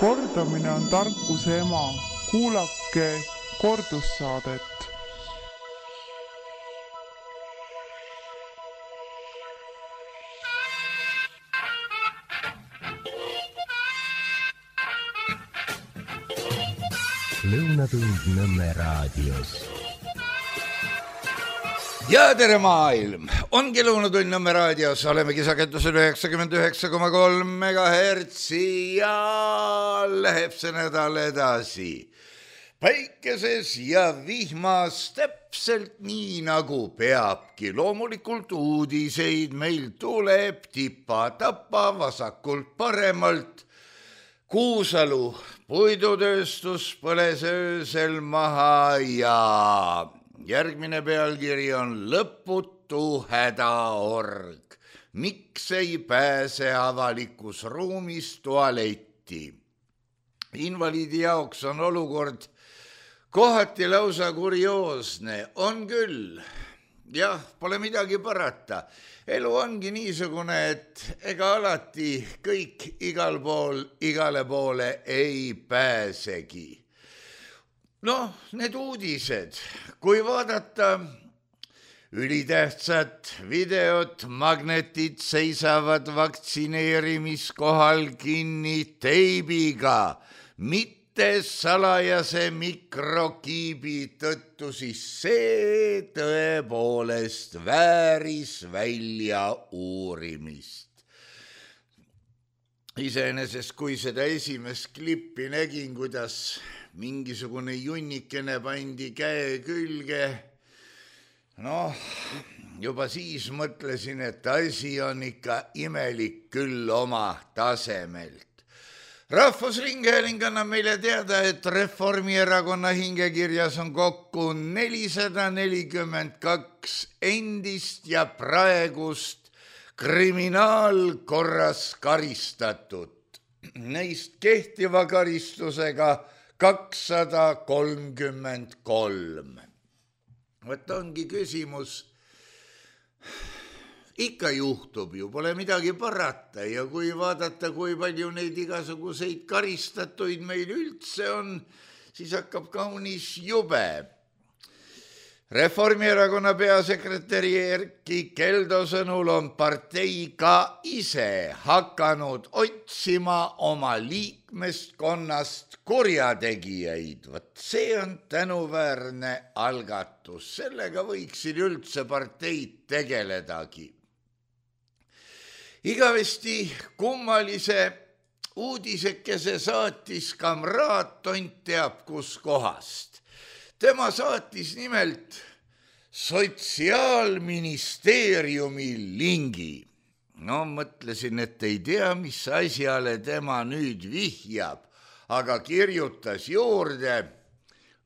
Kordamine on tarkuse ema. Kuulake kordussaadet. Lõunatund Nõmme raadios. Ja tere maailm! Ongi Lõunatund Nõmme raadios. Olemegi sagedusel 99,3 MHz ja läheb see nädal edasi. Päikeses ja vihmas täpselt nii nagu peabki. Loomulikult uudiseid meil tuleb tipa-tapa vasakult paremalt. Kuusalu puidutööstus põles öösel maha ja järgmine pealkiri on lõputu hädaorg. Miks ei pääse avalikus ruumis tualetti? Invaliidi jaoks on olukord kohati lausa kurioosne. On küll. Jah, pole midagi parata. Elu ongi niisugune, et ega alati kõik igal pool, igale poole ei pääsegi. Noh, need uudised, kui vaadata ülitähtsat videot, magnetid seisavad vaktsineerimiskohal kinni teibiga, mitte salajase mikrokiibi tõttu, siis see tõepoolest vääris välja uurimist. Iseenesest, kui seda esimest klippi nägin, kuidas mingisugune junnikene pandi käe külge, juba siis mõtlesin, et asi on ikka imelik küll oma tasemelt. Rahvusringhääling annab meile teada, et Reformierakonna hingekirjas on kokku 442 endist ja praegust kriminaalkorras karistatut. Neist kehtiva karistusega 233. Võt ongi küsimus, ikka juhtub ju, pole midagi parata ja kui vaadata, kui palju neid igasuguseid karistatuid meil üldse on, siis hakkab kaunis jube. Reformierakonna peasekretäri Erkki Keldo sõnul on partei ka ise hakanud otsima oma liikmeskonnast kurjategijaid. Võt see on tänuväärne algatus, sellega võiksid üldse parteid tegeledagi. Igavesti kummalise uudisekese saatis kamraad tont teab kus kohast. Tema saatis nimelt Sotsiaalministeeriumi lingi. Mõtlesin, et ei tea, mis asjale tema nüüd vihjab, aga kirjutas juurde,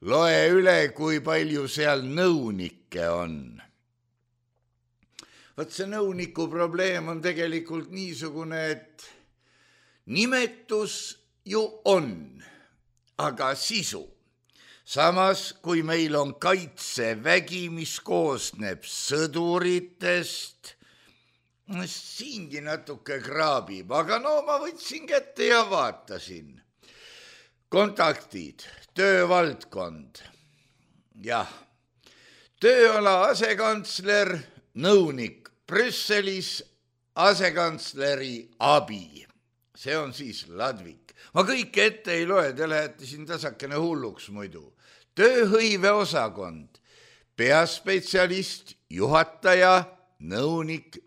loe üle, kui palju seal nõunikke on. Võt see nõuniku probleem on tegelikult niisugune, et nimetus ju on, aga sisu. Samas, kui meil on kaitsevägi, mis koosneb sõduritest, siingi natuke kraabib, aga ma võtsin kätte ja vaatasin. Kontaktid, töövaldkond. Jah, tööala asekantsler, nõunik Brüsselis, asekantsleri abi. See on siis Ladvik. Ma kõike ette ei loe, te lähete siin tasakene hulluks muidu. Tööhõive osakond, peaspetsialist, juhataja, nõunik.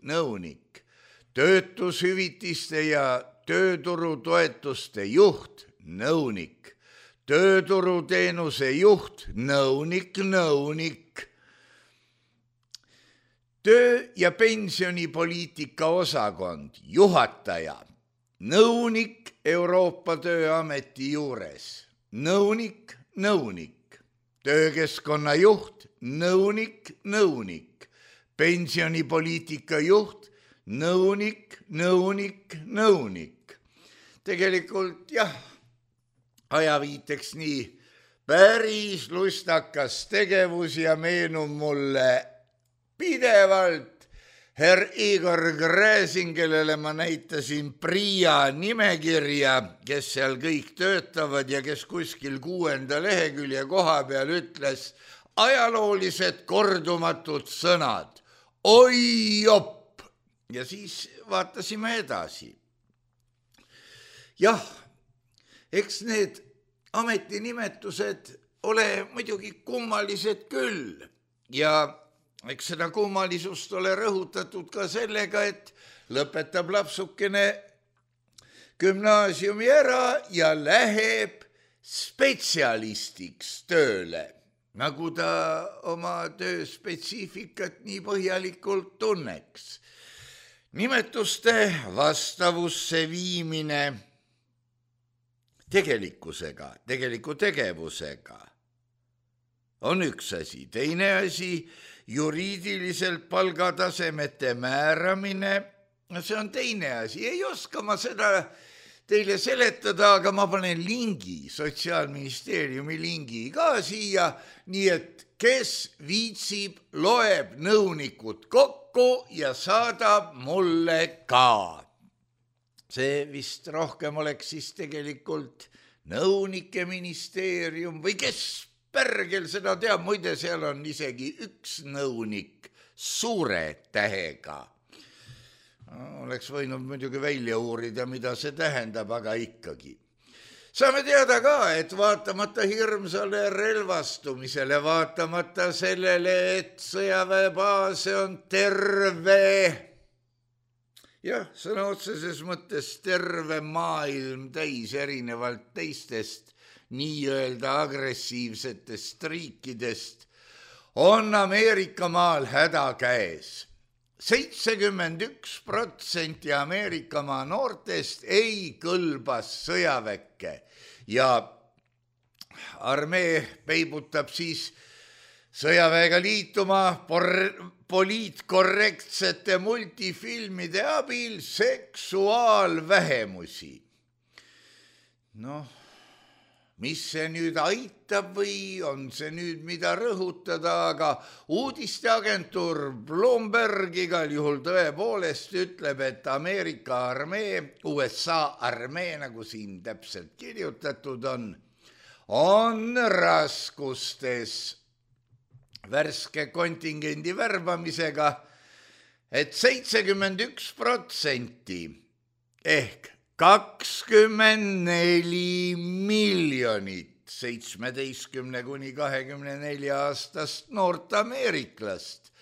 Töötushüvitiste ja tööturutoetuste juht, nõunik. Tööturuteenuse juht, nõunik. Töö- ja pensionipoliitika osakond, juhataja. Nõunik Euroopa Tööameti juures, nõunik. Töökeskkonna juht, nõunik. Pensionipoliitika juht, nõunik. Tegelikult jah, ajaviiteks nii päris lustakas tegevus ja meenub mulle pidevalt Herr Igor Gräzin, kellele ma näitasin PRIA nimekirja, kes seal kõik töötavad ja kes kuskil 6. lehekülje koha peal ütles ajaloolised kordumatud sõnad. Oi jopp! Ja siis vaatasime edasi. Jah, eks need ametinimetused ole muidugi kummalised küll ja eks seda kummalisust ole rõhutatud ka sellega, et lõpetab lapsukene gümnaasiumi ära ja läheb spetsialistiks tööle, nagu ta oma töö spetsiifikat nii põhjalikult tunneks. Nimetuste vastavusse viimine tegelikkusega, tegeliku tegevusega on üks asi, teine asi juriidiliselt palgatasemete määramine, see on teine asi. Ei oska ma seda teile seletada, aga ma panen lingi, Sotsiaalministeeriumi lingi ka siia, nii et kes viitsib, loeb nõunikud kokku ja saadab mulle ka. See vist rohkem oleks siis tegelikult nõunike ministeerium või kes pärgel seda teab, muide seal on isegi üks nõunik suure tähega. Oleks võinud muidugi välja uurida, mida see tähendab, aga ikkagi. Saame teada ka, et vaatamata hirmsale relvastumisele, vaatamata sellele, et sõjaväebaase on terve, jah, sõna otseses mõttes terve maailm täis erinevalt teistest nii-öelda agressiivsetest riikidest, on Ameerika maal häda käes. 71% Ameerika maa noortest ei kõlba sõjaväkke ja armee peibutab siis sõjaväega liituma poliitkorrektsete multifilmide abil seksuaalvähemusi. Noh, mis see nüüd aitab või on see nüüd mida rõhutada, aga uudisteagentuur Bloomberg igal juhul tõepoolest ütleb, et Ameerika armee, USA armee, nagu siin täpselt kirjutatud on raskustes värske kontingendi värbamisega, et 71% ehk 24 miljonit 17–24 aastast noort ameeriklast,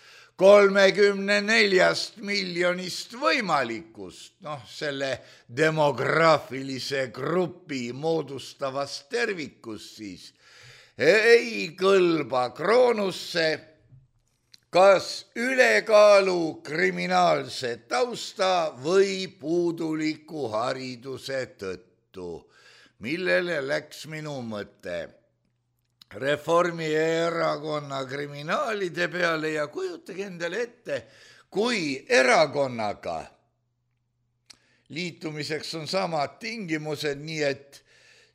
34 miljonist võimalikust, selle demograafilise grupi moodustavast tervikust siis, ei kõlba kroonusse kas ülekaalu kriminaalse tausta või puuduliku hariduse tõttu, millele läks minu mõte Reformierakonna kriminaalide peale ja kujutage endale ette, kui erakonnaga liitumiseks on samad tingimused, nii et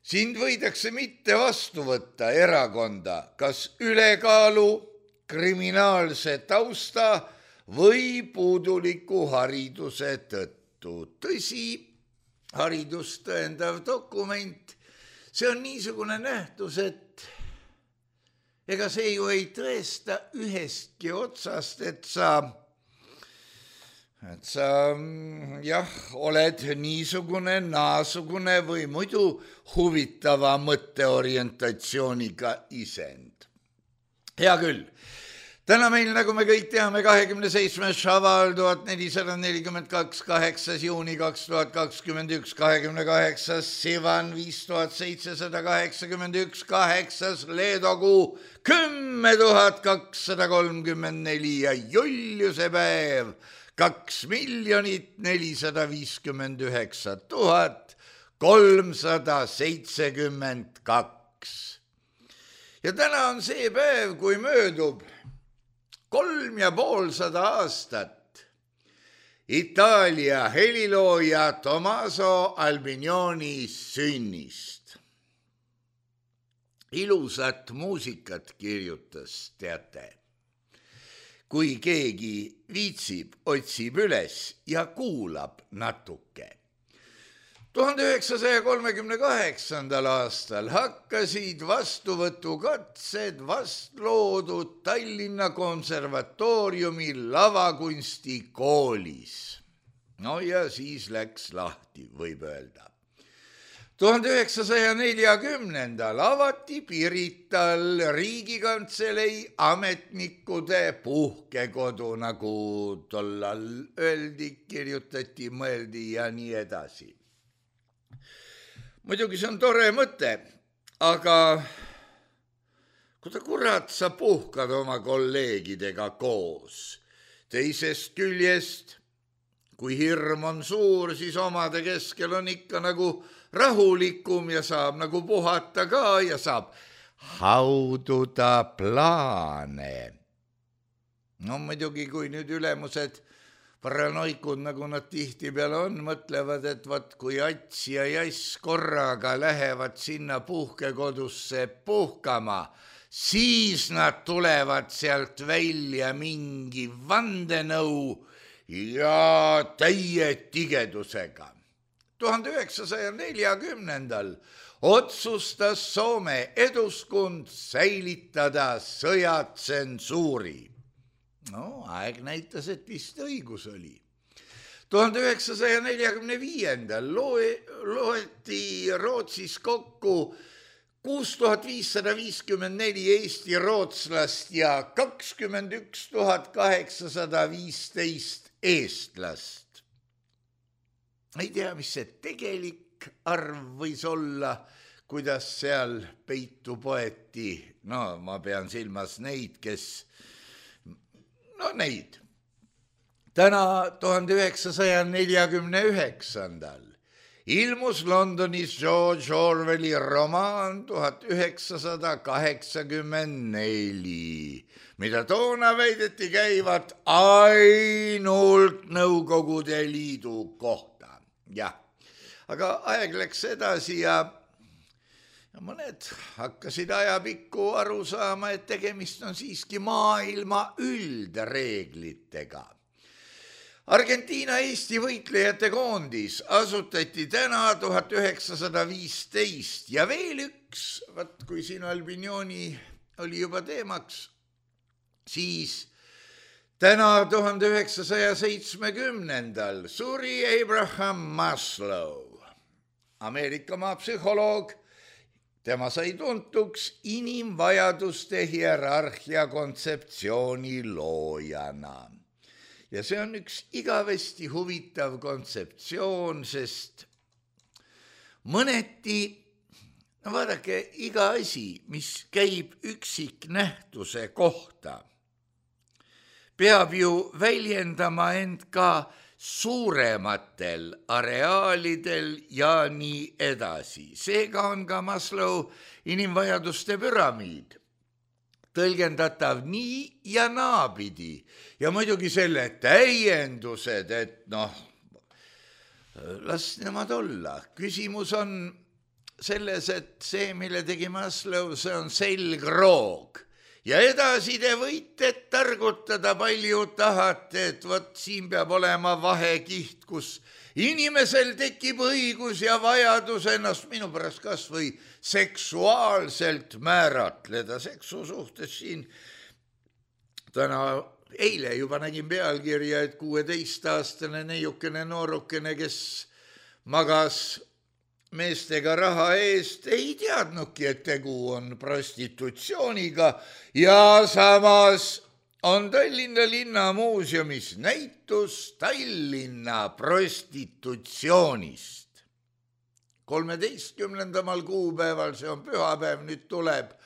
sind võidakse mitte vastu võtta erakonda, kas ülekaalu kriminaalse tausta või puuduliku hariduse tõttu. Tõsi, haridust tõendav dokument, see on niisugune nähtus, et ega see ju ei tõesta ühestki otsast, et sa oled niisugune, naasugune või muidu huvitava mõtteorientatsiooniga isend. Hea küll. Täna meil, nagu me kõik teame, 27. Šaval 1442, 8. juuni 2021, 28. Sivan 5781, 8. leedokuu 10,234 ja Juliuse päev 2,459,372. Ja täna on see päev, kui möödub 350 aastat Itaalia helilooja Tommaso Albinoni sünnist. Ilusat muusikat kirjutas, teate. kui keegi viitsib, otsib üles ja kuulab natuke. 1938. aastal hakkasid vastuvõtukatsed vastloodud Tallinna konservatooriumi lavakunstikoolis. No ja siis läks lahti, võib öelda. 1940. avati Pirital Riigikantselei ametnikude puhkekodu, nagu tollal öeldi, kirjutati, mõeldi ja nii edasi. Muidugi see on tore mõte, aga kurat sa puhkad oma kolleegidega koos. Teisest küljest, kui hirm on suur, siis omade keskel on ikka nagu rahulikum ja saab nagu puhata ka ja saab haududa plaane. No muidugi, kui nüüd ülemused paranoikud, nagu nad tihtipeale on, mõtlevad, et vaat kui Ats ja Jass korraga lähevad sinna puhkekodusse puhkama, siis nad tulevad sealt välja mingi vandenõu ja täie tigedusega. 1940. otsustas Soome eduskund säilitada sõjatsensuuri. No, aeg näitas, et vist õigus oli. 1945. loeti Rootsis kokku 6554 Eesti rootslast ja 21 815 eestlast. Ei tea, mis see tegelik arv võis olla, kuidas seal peitu poeti. No, ma pean silmas neid, kes... No neid. Täna 1949. ilmus Londonis George Orwelli romaan 1984, mida toona väideti käivat ainult Nõukogude Liidu kohta. Jah, aga aeg läks edasi ja mõned hakkasid ajapikku aru saama, et tegemist on siiski maailma üldreeglitega. Argentiina Eesti võitlejate koondis asutati täna 1915 ja veel üks, kui siin Albignoni oli juba teemaks, siis täna 1970. suri Abraham Maslow, Ameerika maapsühholoog. Tema sai tuntuks inimvajaduste hierarhia kontseptsiooni loojana. Ja see on üks igavesti huvitav kontseptsioon, sest mõneti, no vaadake, iga asi, mis käib üksiknähtuse kohta, peab ju väljendama end ka suurematel areaalidel ja nii edasi. Seega on ka Maslow inimvajaduste püramiid tõlgendatav nii ja naapidi. Ja muidugi selle täiendused, et las nemad olla. Küsimus on selles, et see, mille tegi Maslow, see on selgroog. Ja edasi te võite targutada palju tahate, et võt siin peab olema vahekiht, kus inimesel tekib õigus ja vajadus ennast minu pärast kas või seksuaalselt määratleda. Seksu suhtes siin eile juba nägin pealkirja, et 16-aastane neiukene noorukene, kes magas meestega raha eest, ei teadnudki, et tegu on prostitutsiooniga ja samas on Tallinna linnamuuseumis näitus Tallinna prostitutsioonist. 13. kuupäeval, see on pühapäev, nüüd tuleb,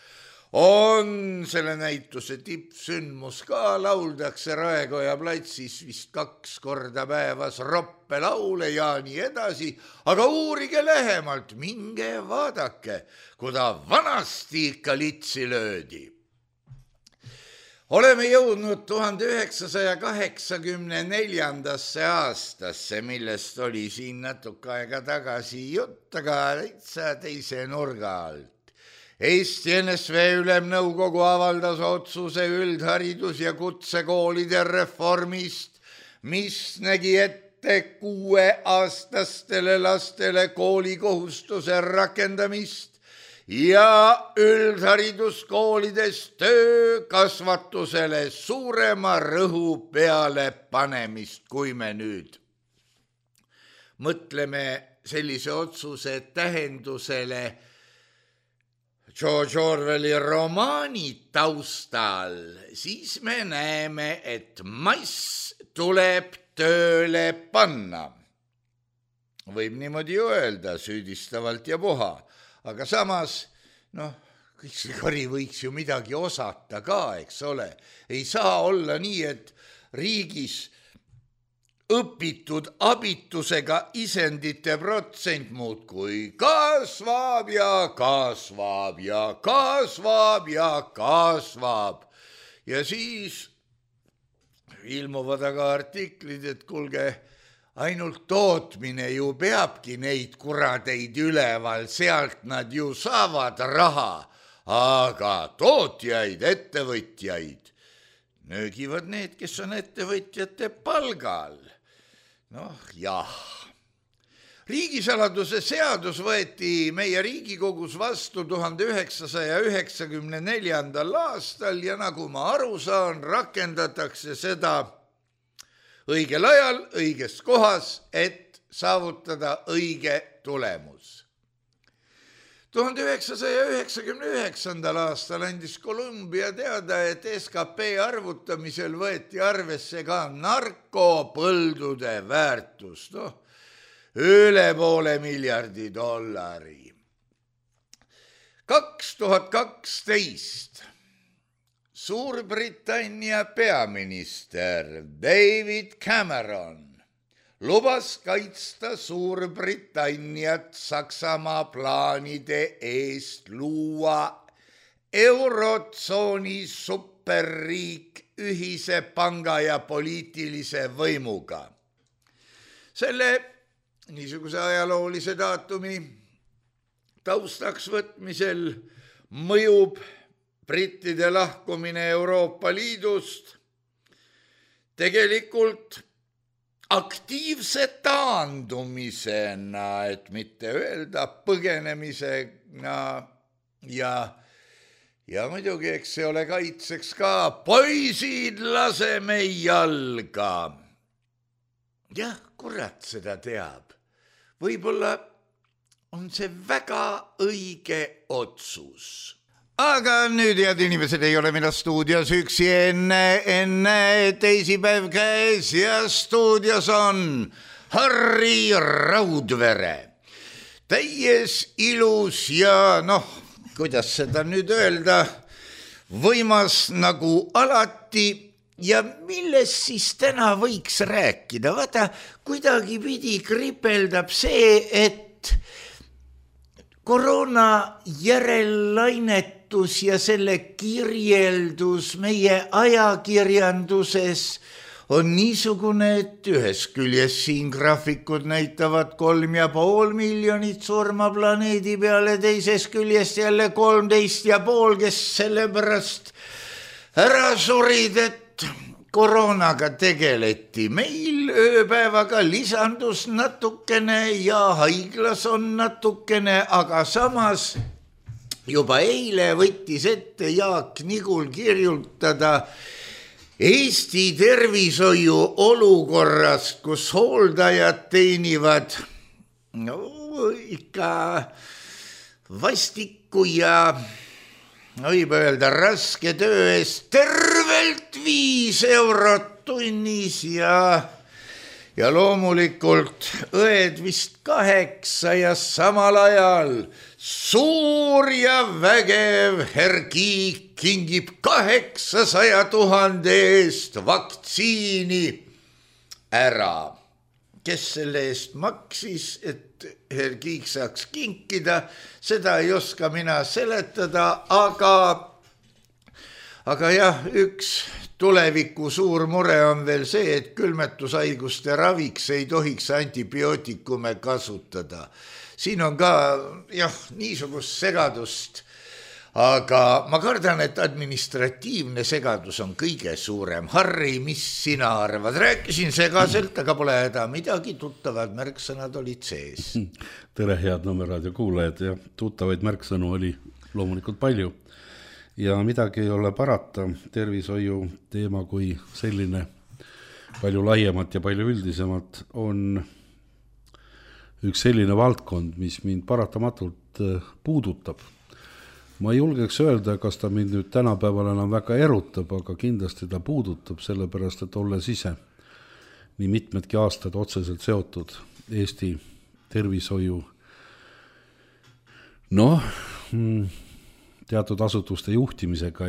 on selle näituse tippsündmus ka, lauldakse Raekoja platsis vist 2 korda päevas roppelaule ja nii edasi, aga uurige lähemalt, minge vaadake, kuda vanasti ikka litsi löödi. Oleme jõudnud 1984. aastasse, millest oli siin natuke aega tagasi jutt, aga täitsa teise nurga alt. Eesti NSV Ülemnõukogu avaldas otsuse üldharidus- ja kutsekoolide reformist, mis nägi ette 6-aastastele lastele koolikohustuse rakendamist ja üldhariduskoolides töökasvatusele suurema rõhu peale panemist, kui me nüüd mõtleme sellise otsuse tähendusele George Orwelli romaani taustal, siis me näeme, et mass tuleb tööle panna. Võib niimoodi ju öelda süüdistavalt ja puha, aga samas, kõik see kari võiks ju midagi osata ka, eks ole. Ei saa olla nii, et riigis õpitud abitusega isendite protsent muudkui kasvab ja kasvab ja kasvab ja kasvab. Ja siis ilmuvad aga artiklid, et kuulge, ainult tootmine ju peabki neid kuradeid üleval, sealt nad ju saavad raha, aga tootjaid, ettevõtjaid nöögivad need, kes on ettevõtjate palgal. Jah. Riigisaladuse seadus võeti meie Riigikogus vastu 1994. aastal ja nagu ma aru saan, rakendatakse seda õigel ajal, õiges kohas, et saavutada õige tulemus. 1999. aastal andis Columbia teada, et SKP arvutamisel võeti arvesse ka narkopõldude väärtust, üle $500 miljardi. 2012 Suurbritannia peaminister David Cameron lubas kaitsta Suurbritanniat Saksamaa plaanide eest luua eurotsooni superriik ühise panga ja poliitilise võimuga. Selle niisuguse ajaloolise daatumi taustaks võtmisel mõjub brittide lahkumine Euroopa Liidust tegelikult aktiivse taandumisena, et mitte öelda põgenemisena ja muidugi, eks see ole kaitseks ka poisid, laseme jalga. Jah, kurat seda teab. Võib-olla on see väga õige otsus. Aga nüüd, head inimesed, ei ole mina stuudios üksi enne teisipäev käes ja stuudios on Harri Raudvere. Täies ilus ja kuidas seda nüüd öelda, võimas nagu alati ja millest siis täna võiks rääkida? Vaata, kuidagi pidi kripeldab see, et koroona järellainetus ja selle kirjeldus meie ajakirjanduses on niisugune, et ühest küljest siin graafikud näitavad 3,5 miljonit surma planeedi peale, teisest küljest jälle 13,5, kes sellepärast ära surid, et koroonaga tegeleti. Meil ööpäevaga lisandus natukene ja haiglas on natukene, aga samas juba eile võttis ette Jaak Nigul kirjutada Eesti tervishoiu olukorrast, kus hooldajad teenivad ikka vastikku ja võib öelda raske töö eest tervelt 5 eurot tunnis ja loomulikult õed vist 8 ja samal ajal suur ja vägev Herkiik kingib 800 000 eest vaktsiini ära. Kes selle eest maksis, et Herkiik saaks kinkida, seda ei oska mina seletada, aga jah, üks tuleviku suur mure on veel see, et külmetushaiguste raviks ei tohiks antibiootikume kasutada. Siin on ka niisugust segadust aga ma kardan, et administratiivne segadus on kõige suurem. Harri, mis sina arvad? Rääkisin segaselt, aga pole häda midagi, tuttavad märksõnad olid sees. Tere, head Nõmme kuulajad, ja tuttavaid märksõnu oli loomulikult palju. Ja midagi ei ole parata, tervishoiu teema kui selline palju laiemat ja palju üldisemat on üks selline valdkond, mis mind paratamatult puudutab. Ma ei julgeks öelda, kas ta mind nüüd tänapäeval enam väga erutab, aga kindlasti ta puudutab, sellepärast, et olles ise nii mitmedki aastad otseselt seotud Eesti tervishoiu teatud asutuste juhtimisega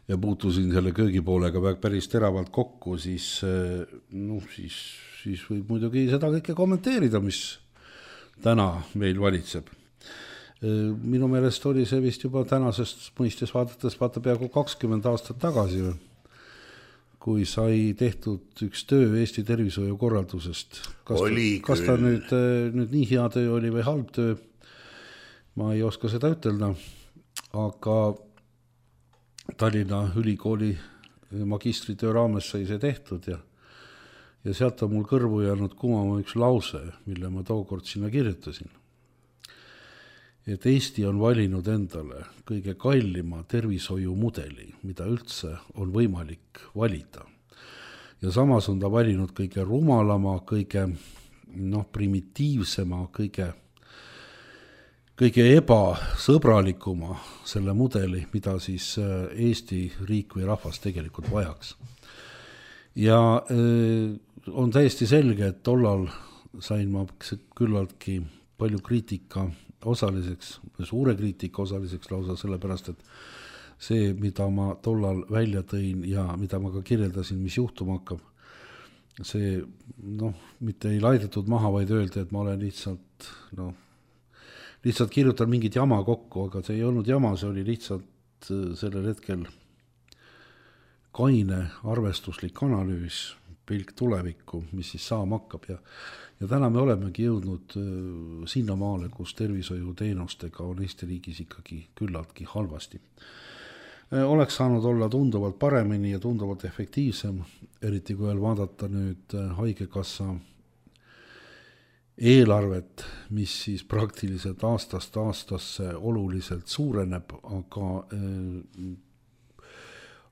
ja puutusin selle köögipoolega päris teravalt kokku, siis võib muidugi seda kõike kommenteerida, mis täna meil valitseb. Minu meelest oli see vist juba tänasest mõistes vaadates peaaegu 20 aastat tagasi, kui sai tehtud üks töö Eesti tervishoiu korraldusest. Kas ta nüüd nii hea töö oli või halb töö, ma ei oska seda ütelda, aga Tallinna Ülikooli magistritöö raames sai see tehtud ja sealt on mul kõrvu jäänud kumama üks lause, mille ma tookord sinna kirjutasin. Et Eesti on valinud endale kõige kallima tervishoiumudeli, mida üldse on võimalik valida. Ja samas on ta valinud kõige rumalama, kõige primitiivsema, kõige ebasõbralikuma selle mudeli, mida siis Eesti riik või rahvas tegelikult vajaks. Ja on täiesti selge, et tollal sain ma küllaltki palju kriitika osaliseks, suure kriitika osaliseks lausa sellepärast, et see, mida ma tollal välja tõin ja mida ma ka kirjeldasin, mis juhtuma hakkab, see mitte ei laidetud maha, vaid öeldi, et ma olen lihtsalt kirjutan mingit jama kokku, aga see ei olnud jama, see oli lihtsalt sellel hetkel kaine arvestuslik analüüs, pilk tulevikku, mis siis saama hakkab ja täna me olemegi jõudnud sinnamaale, kus tervishoiuteenustega on Eesti riigis ikkagi küllaltki halvasti. Oleks saanud olla tunduvalt paremini ja tunduvalt efektiivsem, eriti kui veel vaadata nüüd haigekassa eelarvet, mis siis praktiliselt aastast aastasse oluliselt suureneb,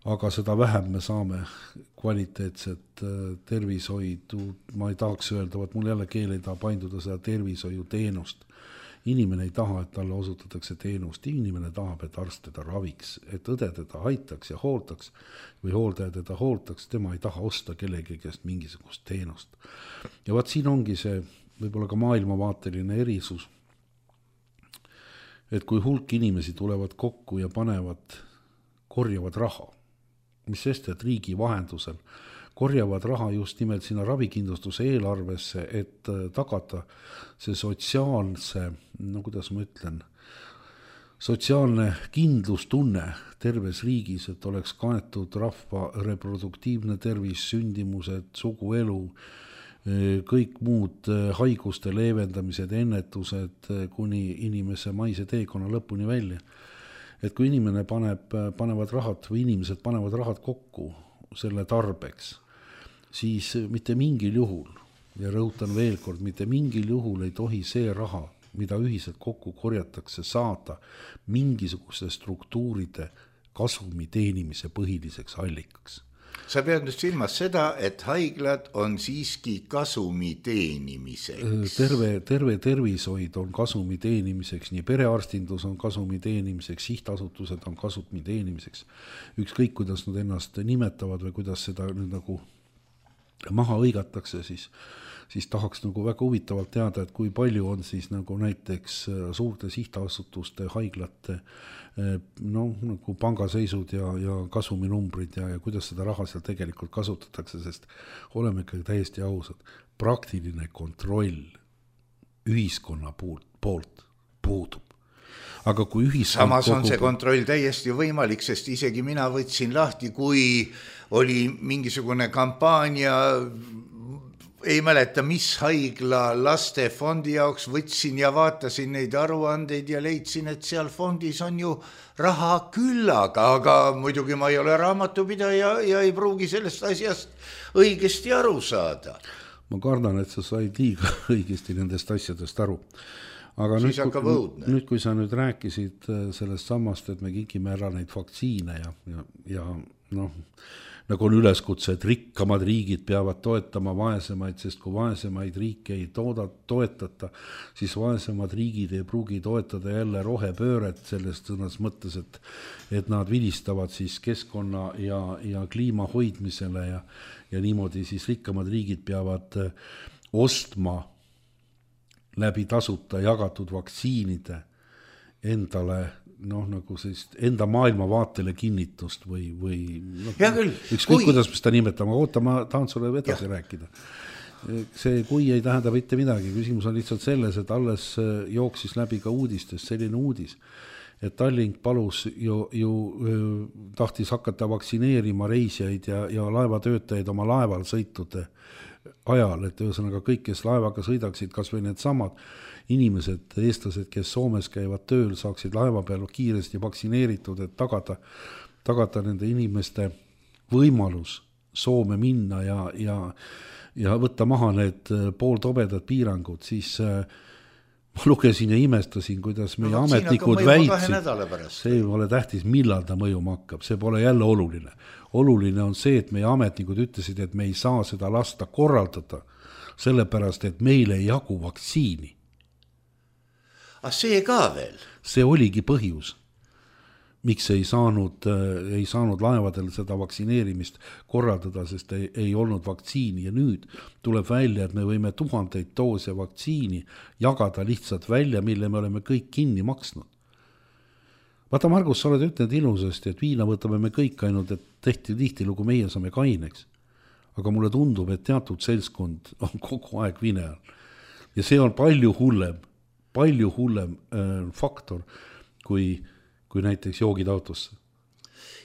aga seda vähem me saame kvaliteetset tervishoidu, ma ei tahaks öelda, mul jälle keel ei taha painduda seda tervishoiuteenust. Inimene ei taha, et talle osutatakse teenust, inimene tahab, et arst teda raviks, et õde teda aitaks ja hooldaks või hooldaja teda hooldaks, tema ei taha osta kellegi käest mingisugust teenust. Ja vaat siin ongi see võib-olla ka maailmavaateline erisus, et kui hulk inimesi tulevad kokku ja korjavad raha, mis sest, et riigi vahendusel korjavad raha just nimelt sinna ravikindlustuse eelarvesse, et tagada see sotsiaalne kindlustunne terves riigis, et oleks kaetud rahva reproduktiivne tervis, sündimused, suguelu, kõik muud haiguste leevendamised, ennetused kuni inimese maise teekonna lõpuni välja. Et kui inimesed panevad rahad kokku selle tarbeks, siis mitte mingil juhul, ja rõhutan veel kord, mitte mingil juhul ei tohi see raha, mida ühiselt kokku korjatakse, saada mingisuguste struktuuride kasumi teenimise põhiliseks allikaks. Sa pead nüüd silmas seda, et haiglad on siiski kasumi teenimiseks. Terve tervishoid on kasumi teenimiseks, nii perearstindus on kasumi teenimiseks, sihtasutused on kasumi teenimiseks. Ükskõik, kuidas nad ennast nimetavad või kuidas seda nüüd nagu maha õigatakse, siis tahaks nagu väga huvitavalt teada, et kui palju on siis nagu näiteks suurte sihtasutuste, haiglate nagu pangaseisud ja kasuminumbrid ja kuidas seda raha seal tegelikult kasutatakse, sest oleme ikka täiesti ausad, praktiline kontroll ühiskonna poolt puudub. Aga kui samas on see kontroll täiesti võimalik, sest isegi mina võtsin lahti, kui oli mingisugune kampaania ei mäleta, mis haigla lastefondi jaoks võtsin ja vaatasin neid aruandeid ja leidsin, et seal fondis on ju raha küllaga, aga muidugi ma ei ole raamatupidaja ja ei pruugi sellest asjast õigesti aru saada. Ma kardan, et sa said liiga õigesti nendest asjadest aru. Aga nüüd, kui sa nüüd rääkisid sellest samast, et me kikime ära neid vaktsiine ja noh, nagu on üleskutse, et rikkamad riigid peavad toetama vaesemaid, sest kui vaesemaid riike ei toetata, siis vaesemad riigid ei pruugi toetada jälle rohepööret selles sõnas mõttes, et nad vilistavad siis keskkonna ja kliima hoidmisele ja niimoodi siis rikkamad riigid peavad ostma läbi tasuta jagatud vaktsiinide endale nagu sellist enda maailmavaatele kinnitust või ükskõik kuidas me seda nimetame, oota, ma tahan sulle edasi rääkida. See kui ei tähenda mitte midagi, küsimus on lihtsalt selles, et alles jooksis läbi ka uudistest selline uudis, et Tallink palus ju tahtis hakata vaktsineerima reisijaid ja laevatöötajaid oma laeval sõitude ajal, et ühesõnaga kõik, kes laevaga sõidaksid, kas või need samad inimesed, eestlased, kes Soomes käivad tööl, saaksid laeva peal kiiresti vaktsineeritud, et tagada nende inimeste võimalus Soome minna ja võtta maha need pooltobedad piirangud, siis ma lugesin ja imestasin, kuidas meie ametnikud väitsid, see ei ole tähtis, millal ta mõjuma hakkab, see pole jälle oluline. Oluline on see, et meie ametnikud ütlesid, et me ei saa seda lasta korraldada, sellepärast, et meil ei jagu vaktsiini. See ka veel? See oligi põhjus, miks ei saanud laevadel seda vaktsineerimist korraldada, sest ei olnud vaktsiini ja nüüd tuleb välja, et me võime 1000 doose vaktsiini jagada lihtsalt välja, mille me oleme kõik kinni maksnud. Vaata, Margus, sa oled ütlenud ilusasti, et viina võtame me kõik ainult, et tihtilugu meie saame kaineks. Aga mulle tundub, et teatud seltskond on kogu aeg vine all. Ja see on palju hullem faktor kui näiteks joogid autosse.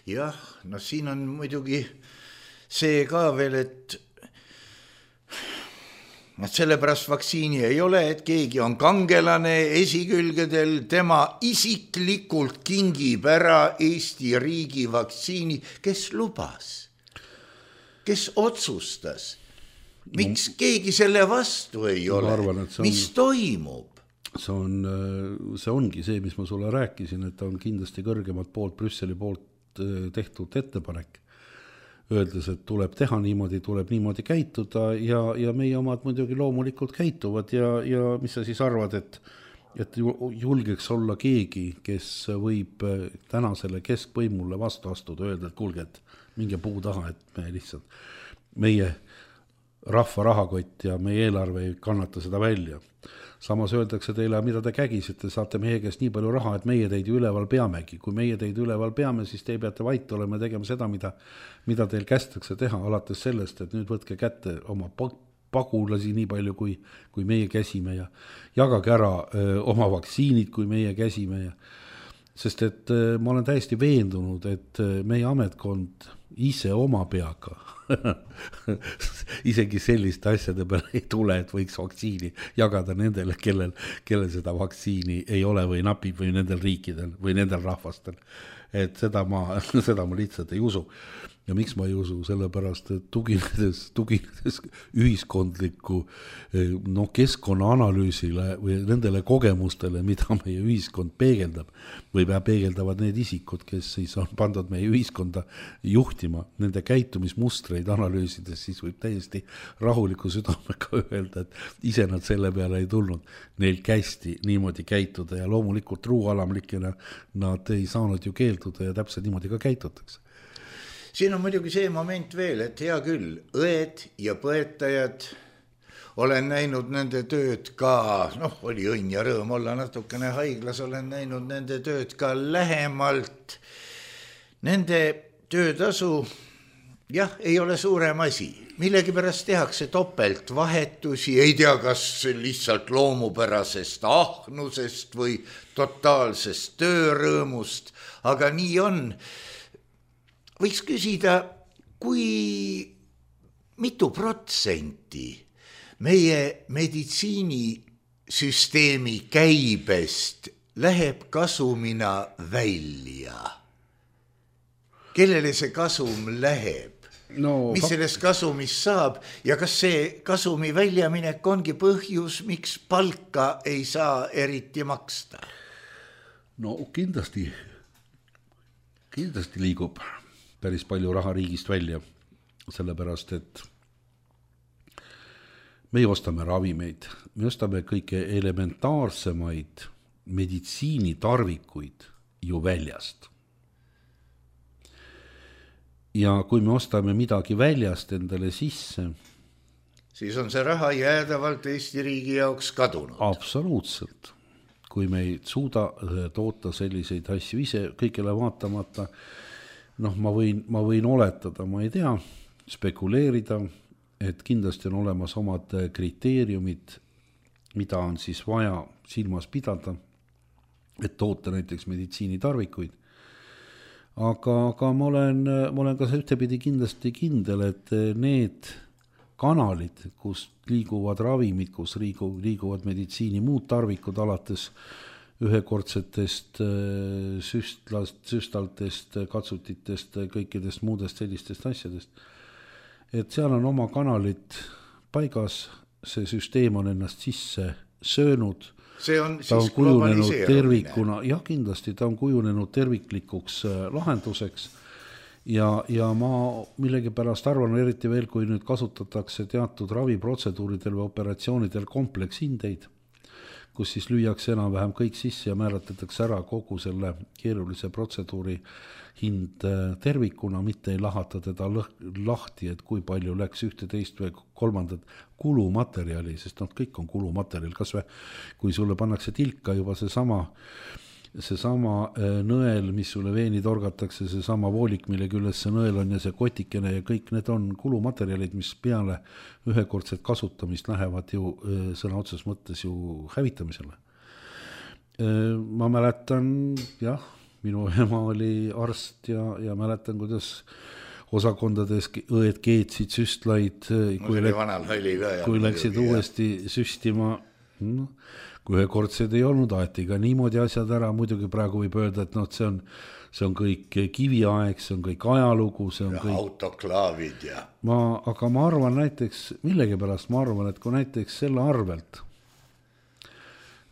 Jah, siin on muidugi see ka veel, et sellepärast vaktsiini ei ole, et keegi on kangelane esikülgedel, tema isiklikult kingib ära Eesti riigi vaktsiini, kes lubas, kes otsustas, miks keegi selle vastu ei ole, mis toimub? See ongi see, mis ma sulle rääkisin, et on kindlasti kõrgemalt poolt, Brüsseli poolt tehtud ettepanek, öeldes, et tuleb teha niimoodi, tuleb niimoodi käituda ja meie omad muidugi loomulikult käituvad ja mis sa siis arvad, et julgeks olla keegi, kes võib tänasele keskvõimule vastu astuda, öelda, et kuulge, et minge puu taha, et me lihtsalt, meie rahva rahakott ja meie eelarve ei kannata seda välja. Samas öeldakse teile, mida te kägisite, saate meie käest nii palju raha, et meie teid üleval peamegi. Kui meie teid üleval peame, siis te peate vait olema ja tegema seda, mida teil kästakse teha, alates sellest, et nüüd võtke kätte oma pagulasi nii palju, kui meie käsime ja jagage ära oma vaktsiinid, kui meie käsime. Sest et ma olen täiesti veendunud, et meie ametkond ise oma peaga isegi selliste asjade peale ei tule, et võiks vaktsiini jagada nendele, kellel seda vaktsiini ei ole või napib või nendel riikidel või nendel rahvastel. Et seda ma lihtsalt ei usu. Ja miks ma ei usu? Sellepärast, et tuginedes ühiskondliku keskkonnaanalüüsile või nendele kogemustele, mida meie ühiskond peegeldab või peegeldavad need isikud, kes siis on pandud meie ühiskonda juhtima, nende käitumismustreid analüüsides, siis võib täiesti rahuliku südamega öelda, et ise nad selle peale ei tulnud. Neil kästi niimoodi käituda ja loomulikult truualamlikena nad ei saanud ju keelduda ja täpselt niimoodi ka käitutakse. Siin on muidugi see moment veel, et hea küll, õed ja põetajad, olen näinud nende tööd ka, oli õnn ja rõõm olla natukene haiglas, olen näinud nende tööd ka lähemalt. Nende töötasu, ei ole suurem asi. Millegi pärast tehakse topelt vahetusi, ei tea, kas lihtsalt loomupärasest ahnusest või totaalsest töörõõmust, aga nii on. Võiks küsida, kui mitu protsenti meie meditsiinisüsteemi käibest läheb kasumina välja. Kellele see kasum läheb? No, mis sellest kasumist saab ja kas see kasumi väljaminek ongi põhjus, miks palka ei saa eriti maksta? No kindlasti liigub päris palju raha riigist välja, sellepärast et me ostame ravimeid, me ostame kõige elementaarsemaid meditsiinitarvikuid ju väljast. Ja kui me ostame midagi väljast endale sisse, siis on see raha jäädavalt Eesti riigi jaoks kadunud. Absoluutselt. Kui me ei suuda toota selliseid asju ise kõigele vaatamata, ma võin oletada, ma ei tea, spekuleerida, et kindlasti on olemas omad kriteeriumid, mida on siis vaja silmas pidada, et toota näiteks meditsiinitarvikuid. Aga ma olen ka ühtepidi kindlasti kindel, et need kanalid, kus liiguvad ravimid, kus liiguvad meditsiini muud tarvikud alates ühekordsetest süstaltest, katsutitest, kõikidest muudest sellistest asjadest, et seal on oma kanalid paigas, see süsteem on ennast sisse söönud, ta on kujunenud tervikuna, jah kindlasti ta on kujunenud terviklikuks lahenduseks ja ma millegipärast arvan, eriti veel, kui nüüd kasutatakse teatud raviprotseduuridel või operatsioonidel komplekshindeid, kus siis lüüakse enam-vähem kõik sisse ja määratletakse ära kogu selle keerulise protseduuri hind tervikuna, mitte ei lahata teda lahti, et kui palju läks ühte, teist või kolmandat kulumaterjali, sest kõik on kulumaterjal, kas või kui sulle pannakse tilka juba seesama nõel, mis sulle veeni torgatakse, seesama voolik, mille külles see nõel on ja see kotikene ja kõik need on kulumaterjalid, mis peale ühekordset kasutamist lähevad ju sõna otses mõttes ju hävitamisele. Ma mäletan, jah, minu ema oli arst ja mäletan, kuidas osakondades õed keetsid süstlaid, kui läksid uuesti süstima, kui ühekordsed ei olnud, aeti ka niimoodi asjad ära, muidugi praegu võib öelda, et see on kõik kiviaeg, see on kõik ajalugu, see on kõik autoklaavid ja aga ma arvan näiteks, millegipärast ma arvan, et kui näiteks selle arvelt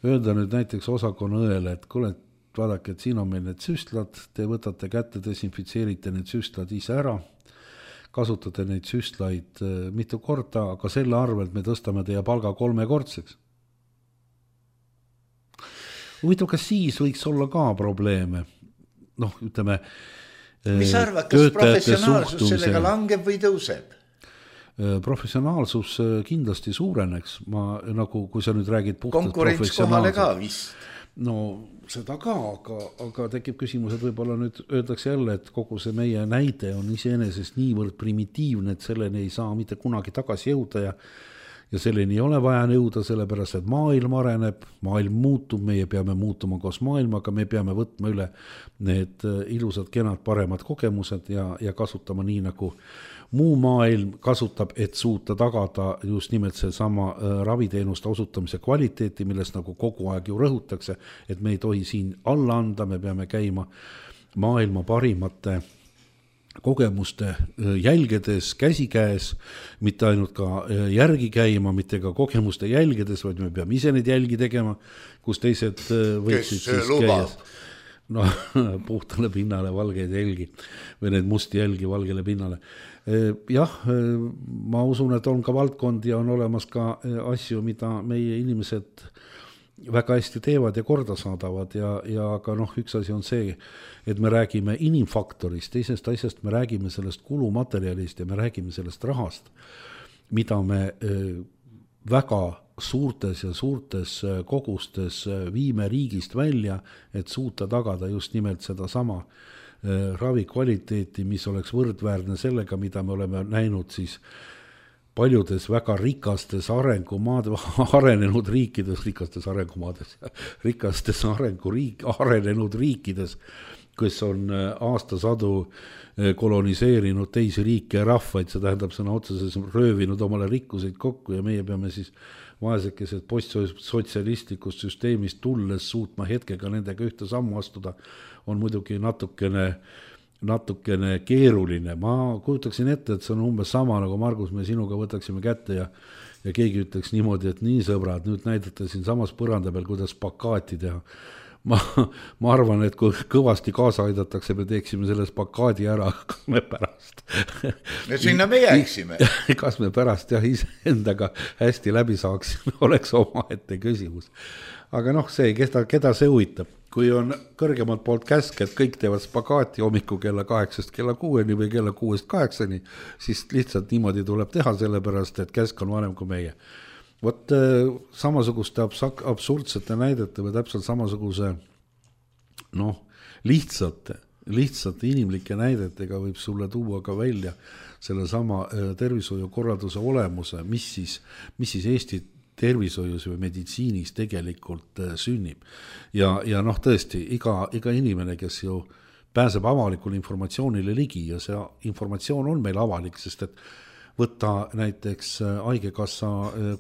öelda nüüd näiteks osakonna õele, et kuule, vaadake, et siin on meil need süstlad, te võtate kätte, desinfitseerite need süstlad ise ära, kasutate neid süstlaid mitu korda, aga selle arvelt me tõstame teie palga 3-kordseks. Huvitav, kas siis võiks olla ka probleeme? Ütleme, mis arvad, kas professionaalsus sellega langeb või tõuseb? Professionaalsus kindlasti suureneks. Kui sa nüüd räägid puhtalt konkurents kohale ka vist. No seda ka, aga tekib küsimus, et võib-olla nüüd öeldakse jälle, et kogu see meie näide on iseenesest niivõrd primitiivne, et selleni ei saa mitte kunagi tagasi jõuda ja selleni ei ole vaja jõuda, sellepärast, et maailm areneb, maailm muutub, meie peame muutuma koos maailmaga, me peame võtma üle need ilusad, kenad, paremad kogemused ja kasutama nii, nagu muu maailm kasutab, et suuta tagada just nimelt seesama raviteenuste osutamise kvaliteeti, millest nagu kogu aeg ju rõhutakse, et me ei tohi siin alla anda, me peame käima maailma parimate kogemuste jälgedes, käsikäes, mitte ainult ka järgi käima, mitte ka kogemuste jälgedes, vaid me peame ise neid jälgi tegema, kus teised võiksid siis käies. Puhtale pinnale valgeid jälgi või need musti jälgi valgele pinnale. Jah, ma usun, et on ka valdkond ja on olemas ka asju, mida meie inimesed väga hästi teevad ja korda saadavad ja aga üks asi on see, et me räägime inimfaktorist, teisest asjast me räägime sellest kulumaterjalist ja me räägime sellest rahast, mida me väga suurtes kogustes viime riigist välja, et suuta tagada just nimelt sedasama ravi kvaliteeti, mis oleks võrdväärne sellega, mida me oleme näinud siis paljudes väga rikastes arenenud riikides, arenenud riikides, kes on aastasadu koloniseerinud teisi riike ja rahvaid, see tähendab sõna otseses röövinud omale rikkuseid kokku ja meie peame siis vaesekesed postsotsialistlikust süsteemist tulles suutma hetkega nendega ühte sammu astuda, on muidugi natukene keeruline. Ma kujutaksin ette, et see on umbes sama, nagu Margus, me sinuga võtaksime kätte ja keegi ütleks niimoodi, et nii sõbrad, nüüd näidate siin samas põranda peal, kuidas plakaati teha. Ma arvan, et kui kõvasti kaasa aidatakse, me teeksime selles plakaadi ära, kas me pärast. Ja sinna me jääksime. Kas me pärast jah iseendaga hästi läbi saaksime, oleks omaette küsimus. Aga see, keda see huvitab? Kui on kõrgemalt poolt käsk, et kõik teevad spagaati hommiku kella 8 kella 6 või kella 6 8, siis lihtsalt niimoodi tuleb teha, sellepärast, et käsk on vanem kui meie. Vot samasuguste absurdsete näidete või täpselt samasuguse lihtsate inimlike näidetega võib sulle tuua ka välja selle sama tervishoiukorralduse olemuse, mis siis Eesti tervishoius või meditsiinis tegelikult sünnib. Ja tõesti, iga inimene, kes ju pääseb avalikule informatsioonile ligi ja see informatsioon on meil avalik, sest et võtta näiteks Haigekassa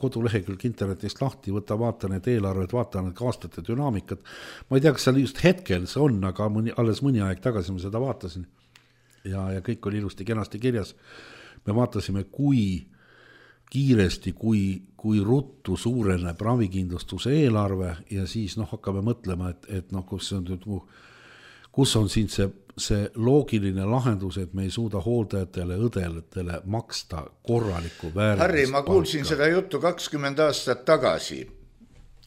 kodulehekülg internetist lahti, vaata need eelarved, vaata need aastate dünaamikat. Ma ei tea, kas seal just hetkel see on, aga alles mõni aeg tagasi ma seda vaatasin. Ja kõik oli ilusti kenasti kirjas. Me vaatasime, kui kiiresti, kui ruttu suureneb ravikindlustuse eelarve ja siis hakkame mõtlema, et kus on siin see loogiline lahendus, et me ei suuda hooldajatele, õdelatele maksta korralikku väärtust. Harri, ma kuulsin seda juttu 20 aastat tagasi.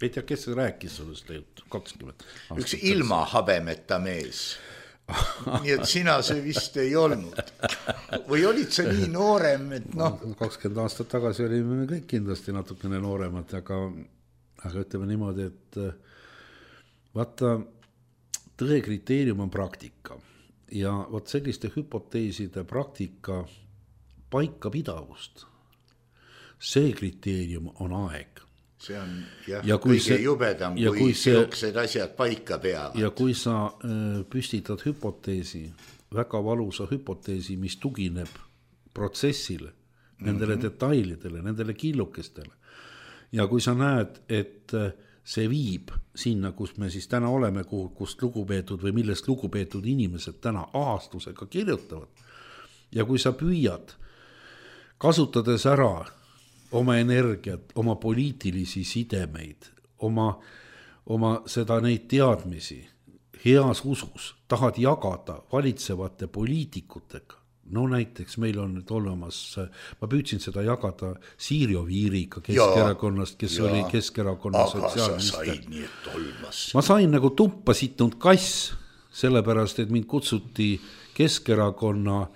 Ei tea, kes rääkis sellest juttu 20 aastat? Üks ilma habemeta mees. Nii et sina see vist ei olnud. Või olid sa nii noorem, et 20 aastat tagasi olime kõik kindlasti natukene nooremad, aga ütleme niimoodi, et vaata, tõe kriteerium on praktika ja vot selliste hüpoteeside praktika paikapidavust, see kriteerium on aeg. See on kõige jubedam, kui siuksed asjad paika peavad. Ja kui sa püstitad hüpoteesi, väga valusa hüpoteesi, mis tugineb protsessile, nendele detailidele, nendele killukestele ja kui sa näed, et see viib sinna, kus me siis täna oleme, kust lugupeetud või millest lugupeetud inimesed täna ahastusega kirjutavad. Ja kui sa püüad, kasutades ära oma energiat, oma poliitilisi sidemeid, oma seda neid teadmisi, heas usus, tahad jagada valitsevate poliitikutega. Näiteks meil on nüüd olemas, ma püüdsin seda jagada Siiri Oviiriga Keskerakonnast, kes oli Keskerakonna sotsiaalminister. Ma sain nagu tuppa sittunud kass, sellepärast, et mind kutsuti Keskerakonna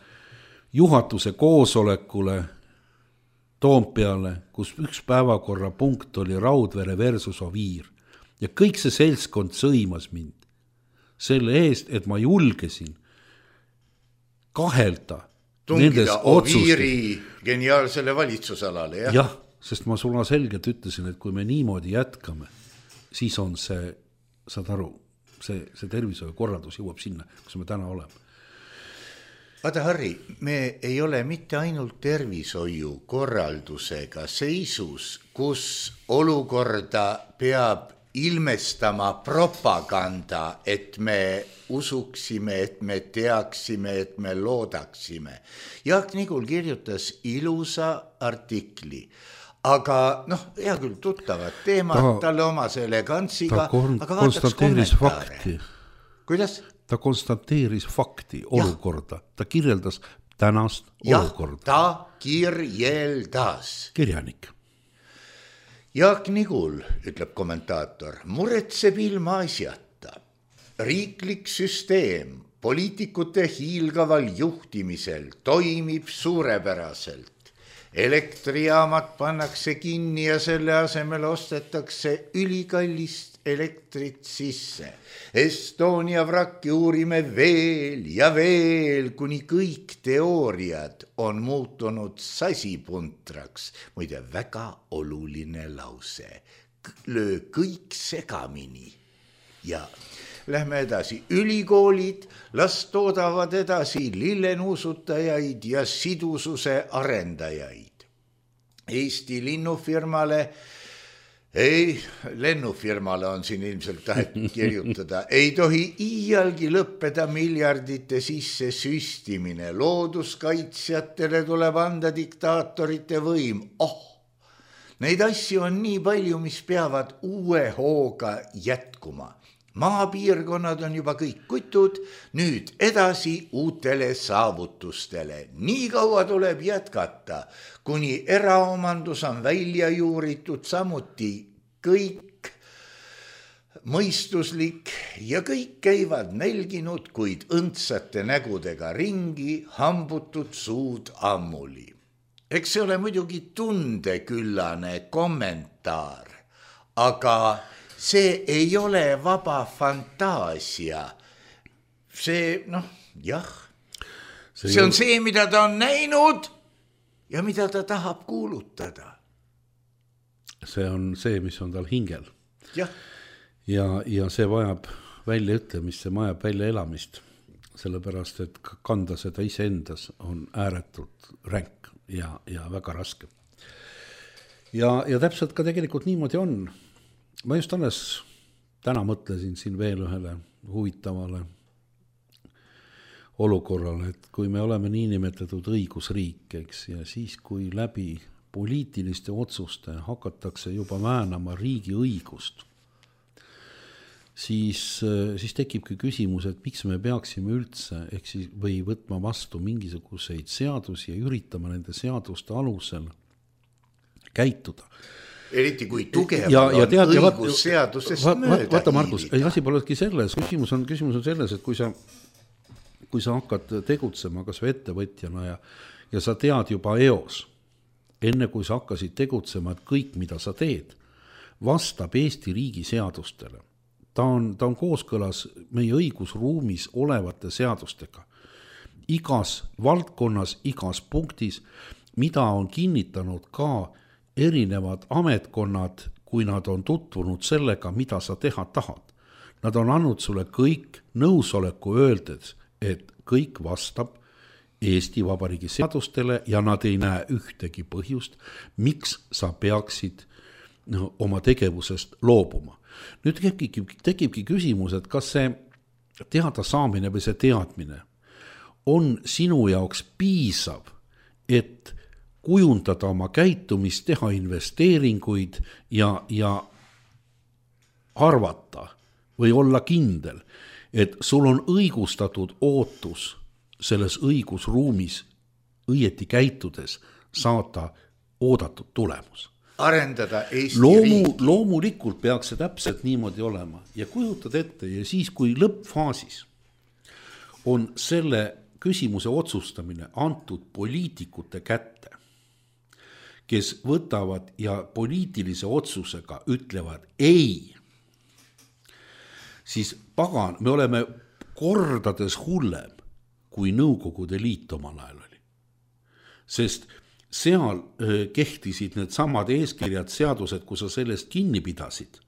juhatuse koosolekule Toompeale, kus üks päevakorra punkt oli Raudvere versus Oviir. Ja kõik see seltskond sõimas mind selle eest, et ma julgesin kahelda tungida Oviiri geniaalsele valitsusalale, jah? Jah, sest ma sulla selgelt ütlesin, et kui me niimoodi jätkame, siis on see, saad aru, see tervishoiukorraldus jõuab sinna, kus me täna oleme. Vaata, Harri, me ei ole mitte ainult tervishoiukorraldusega seisus, kus olukorda peab ilmestama propaganda, et me usuksime, et me teaksime, et me loodaksime. Jaak Nigul kirjutas ilusa artikli, aga hea küll tuttavad teemad, talle omase elegantsiga, aga vaataks kommentaare. Kuidas? Ta konstateeris fakti, olukorda, ta kirjeldas tänast olukorda. Ta kirjeldas. Kirjanik. Jaak Nigul, ütleb kommentaator, muretseb ilma asjata. Riiklik süsteem poliitikute hiilgaval juhtimisel toimib suurepäraselt. Elektrijaamad pannakse kinni ja selle asemel ostetakse ülikallist elektrit sisse. Estonia vrakki uurime veel ja veel, kuni kõik teooriad on muutunud sasipuntraks. Muide, väga oluline lause. Löö kõik segamini. Ja lähme edasi, ülikoolid, las toodavad edasi lillenuusutajaid ja sidususe arendajaid. Eesti lennufirmale on siin ilmselt tahetud kirjutada, ei tohi iialgi lõppeda miljardite sisse süstimine, looduskaitsjatele tuleb anda diktaatorite võim. Neid asju on nii palju, mis peavad uue hooga jätkuma. Maapiirkonnad on juba kõik kutud, nüüd edasi uutele saavutustele. Nii kaua tuleb jätkata, kuni eraomandus on välja juuritud, samuti kõik mõistuslik ja kõik käivad nälginud, kuid õndsate nägudega ringi, hambutud suud ammuli. Eks see ole muidugi tundeküllane kommentaar, aga see ei ole vaba fantaasia. See, jah, see on see, mida ta on näinud ja mida ta tahab kuulutada. See on see, mis on tal hingel. Ja see vajab väljaütlemist, see vajab väljaelamist, sellepärast, et kanda seda iseendas on ääretult ränk ja väga raske. Ja täpselt ka tegelikult niimoodi on. Ma just alles täna mõtlesin siin veel ühele huvitavale olukorrale, et kui me oleme niinimetatud õigusriik, eks, ja siis kui läbi poliitiliste otsuste hakatakse juba väänama riigi õigust, siis tekibki küsimus, et miks me peaksime üldse või võtma vastu mingisuguseid seadusi ja üritama nende seaduste alusel käituda. Eriti kui tugevad on õigusseadusest mööda. Vaata, Markus, asi polegi selles. Küsimus on selles, et kui sa hakkad tegutsema kas või ettevõtjana ja sa tead juba eos, enne kui sa hakkasid tegutsema, et kõik, mida sa teed, vastab Eesti riigi seadustele. Ta on kooskõlas meie õigusruumis olevate seadustega. Igas valdkonnas, igas punktis, mida on kinnitanud ka erinevad ametkonnad, kui nad on tutvunud sellega, mida sa teha tahad. Nad on andnud sulle kõik nõusoleku öeldes, et kõik vastab Eesti Vabariigi seadustele ja nad ei näe ühtegi põhjust, miks sa peaksid oma tegevusest loobuma. Nüüd tekibki küsimus, et kas see teada saamine või see teadmine on sinu jaoks piisav, et kujundada oma käitumist, teha investeeringuid ja arvata või olla kindel, et sul on õigustatud ootus selles õigusruumis õieti käitudes saada oodatud tulemus. Arendada Eesti riiki. Loomulikult peaks see täpselt niimoodi olema ja kujutad ette ja siis, kui lõppfaasis on selle küsimuse otsustamine antud poliitikute kätte, kes võtavad ja poliitilise otsusega ütlevad ei, siis pagan, me oleme kordades hullem, kui Nõukogude Liit omal ajal oli. Sest seal kehtisid need samad eeskirjad, seadused, kui sa sellest kinni pidasid,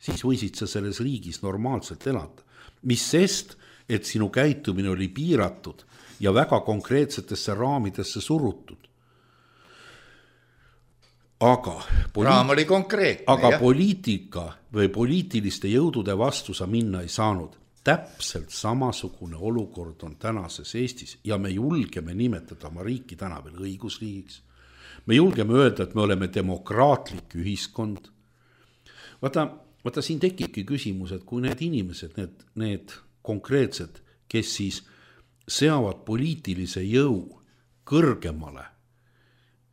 siis võisid sa selles riigis normaalselt elada. Mis sest, et sinu käitumine oli piiratud ja väga konkreetsetesse raamidesse surutud. Aga poliitika või poliitiliste jõudude vastu sa minna ei saanud. Täpselt samasugune olukord on tänases Eestis ja me julgeme nimetada oma riiki täna veel õigusriigiks. Me julgeme öelda, et me oleme demokraatlik ühiskond. Vaata siin tekibki küsimus, et kui need inimesed, need konkreetsed, kes siis seavad poliitilise jõu kõrgemale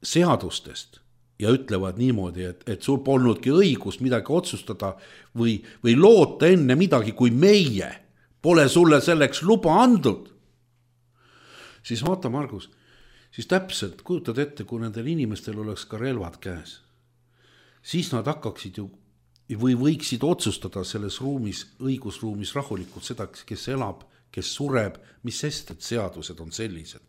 seadustest ja ütlevad niimoodi, et sul polnudki õigust midagi otsustada või loota enne midagi, kui meie pole sulle selleks luba andnud. Siis vaata, Margus, siis täpselt kujutad ette, kui nendel inimestel oleks ka relvad käes. Siis nad hakkaksid ju või võiksid otsustada selles ruumis, õigusruumis rahulikult seda, kes elab, kes sureb, mis sest, et seadused on sellised.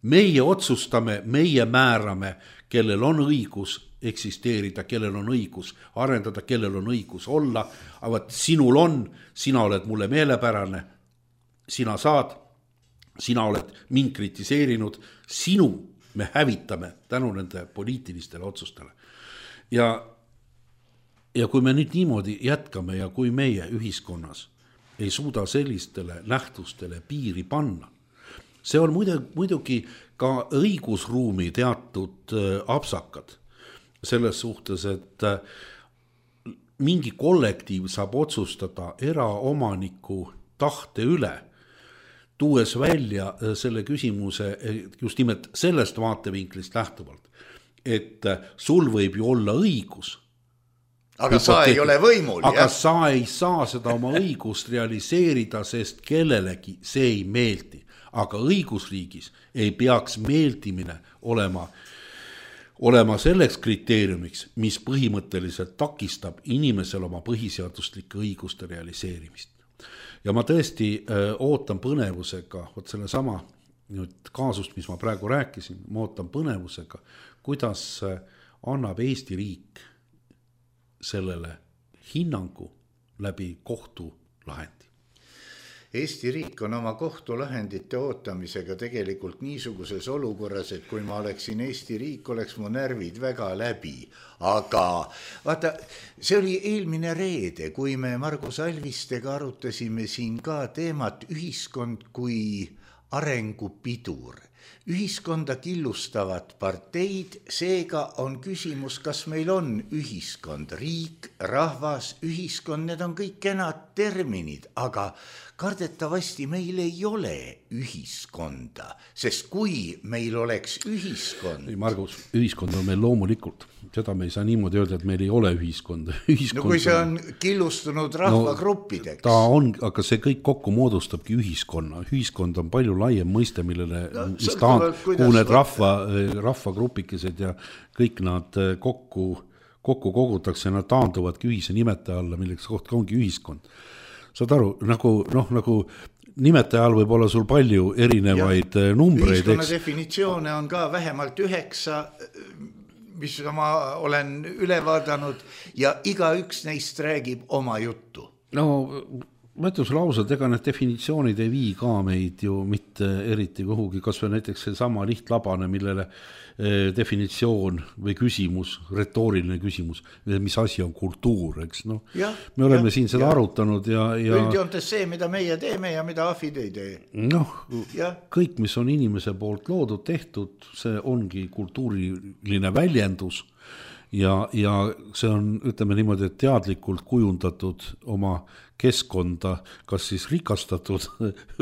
Meie otsustame, meie määrame, kellel on õigus eksisteerida, kellel on õigus arendada, kellel on õigus olla, aga sinul on, sina oled mulle meelepärane, sina saad, sina oled mind kritiseerinud, sinu me hävitame tänu nende poliitilistele otsustele. Ja kui me nüüd niimoodi jätkame ja kui meie ühiskonnas ei suuda sellistele nähtustele piiri panna, see on muidugi ka õigusruumi teatud apsakad selles suhtes, et mingi kollektiiv saab otsustada eraomaniku tahte üle, tuues välja selle küsimuse just nimelt sellest vaatevinklist lähtuvalt, et sul võib ju olla õigus, aga sa ei ole võimul. Aga sa ei saa seda oma õigust realiseerida, sest kellelegi see ei meeldi. Aga õigusriigis ei peaks meeldimine olema selleks kriteeriumiks, mis põhimõtteliselt takistab inimesel oma põhiseaduslike õiguste realiseerimist. Ja ma tõesti ootan põnevusega, selle sama kaasust, mis ma praegu rääkisin, ma ootan põnevusega, kuidas annab Eesti riik sellele hinnangu läbi kohtulahendi. Eesti riik on oma kohtulahendite ootamisega tegelikult niisuguses olukorras, et kui ma oleksin Eesti riik, oleks mu närvid väga läbi. Aga vaata, see oli eelmine reede, kui me Margus Alvistega arutasime siin ka teemat ühiskond kui arengupidur. Ühiskonda killustavad parteid, seega on küsimus, kas meil on ühiskond, riik, rahvas, ühiskond, need on kõik kenad terminid, aga kardetavasti meil ei ole ühiskonda, sest kui meil oleks ühiskond... Margus, ühiskond on meil loomulikult, seda me ei saa niimoodi öelda, et meil ei ole ühiskonda. No kui see on killustunud rahvagruppideks. Ta on, aga see kõik kokku moodustabki ühiskonna. Ühiskond on palju laiem mõiste, millele kuhu need rahvagrupikesed ja kõik nad kokku kogutakse ja nad taanduvadki ühise nimetaja alla, milleks kohta ongi ühiskond. Saad aru, nagu nimetaja all võib olla sul palju erinevaid numbreid. Ühiskonna definitsioone on ka vähemalt 9, mis ma olen üle vaadanud ja igaüks neist räägib oma juttu. No ma ütlen sulle ausalt, ega need definitsioonid ei vii ka meid ju mitte eriti kuhugi, kas või näiteks see sama lihtlabane, millele definitsioon või küsimus, retooriline küsimus, mis asi on kultuur, eks no. Me oleme siin seda arutanud ja üldjoontes see, mida meie teeme ja mida ahvid ei tee. Kõik, mis on inimese poolt loodud, tehtud, see ongi kultuuriline väljendus ja see on, ütleme niimoodi, et teadlikult kujundatud oma keskkonda, kas siis rikastatud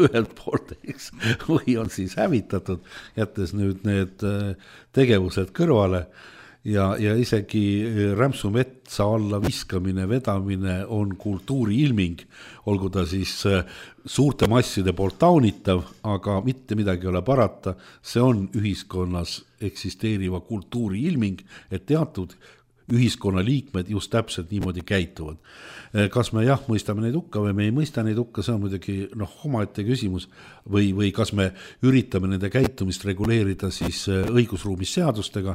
ühelt poolt, eks, või on siis hävitatud, jättes nüüd need tegevused kõrvale ja isegi rämpsu metsa alla viskamine, vedamine on kultuuri ilming, olgu ta siis suurte masside poolt taunitav, aga mitte midagi ei ole parata, see on ühiskonnas eksisteeriva kultuuri ilming, et teatud ühiskonna liikmed just täpselt niimoodi käituvad. Kas me mõistame neid hukka või me ei mõista neid hukka, see on muidugi omaette küsimus või kas me üritame nende käitumist reguleerida siis õigusruumis seadustega.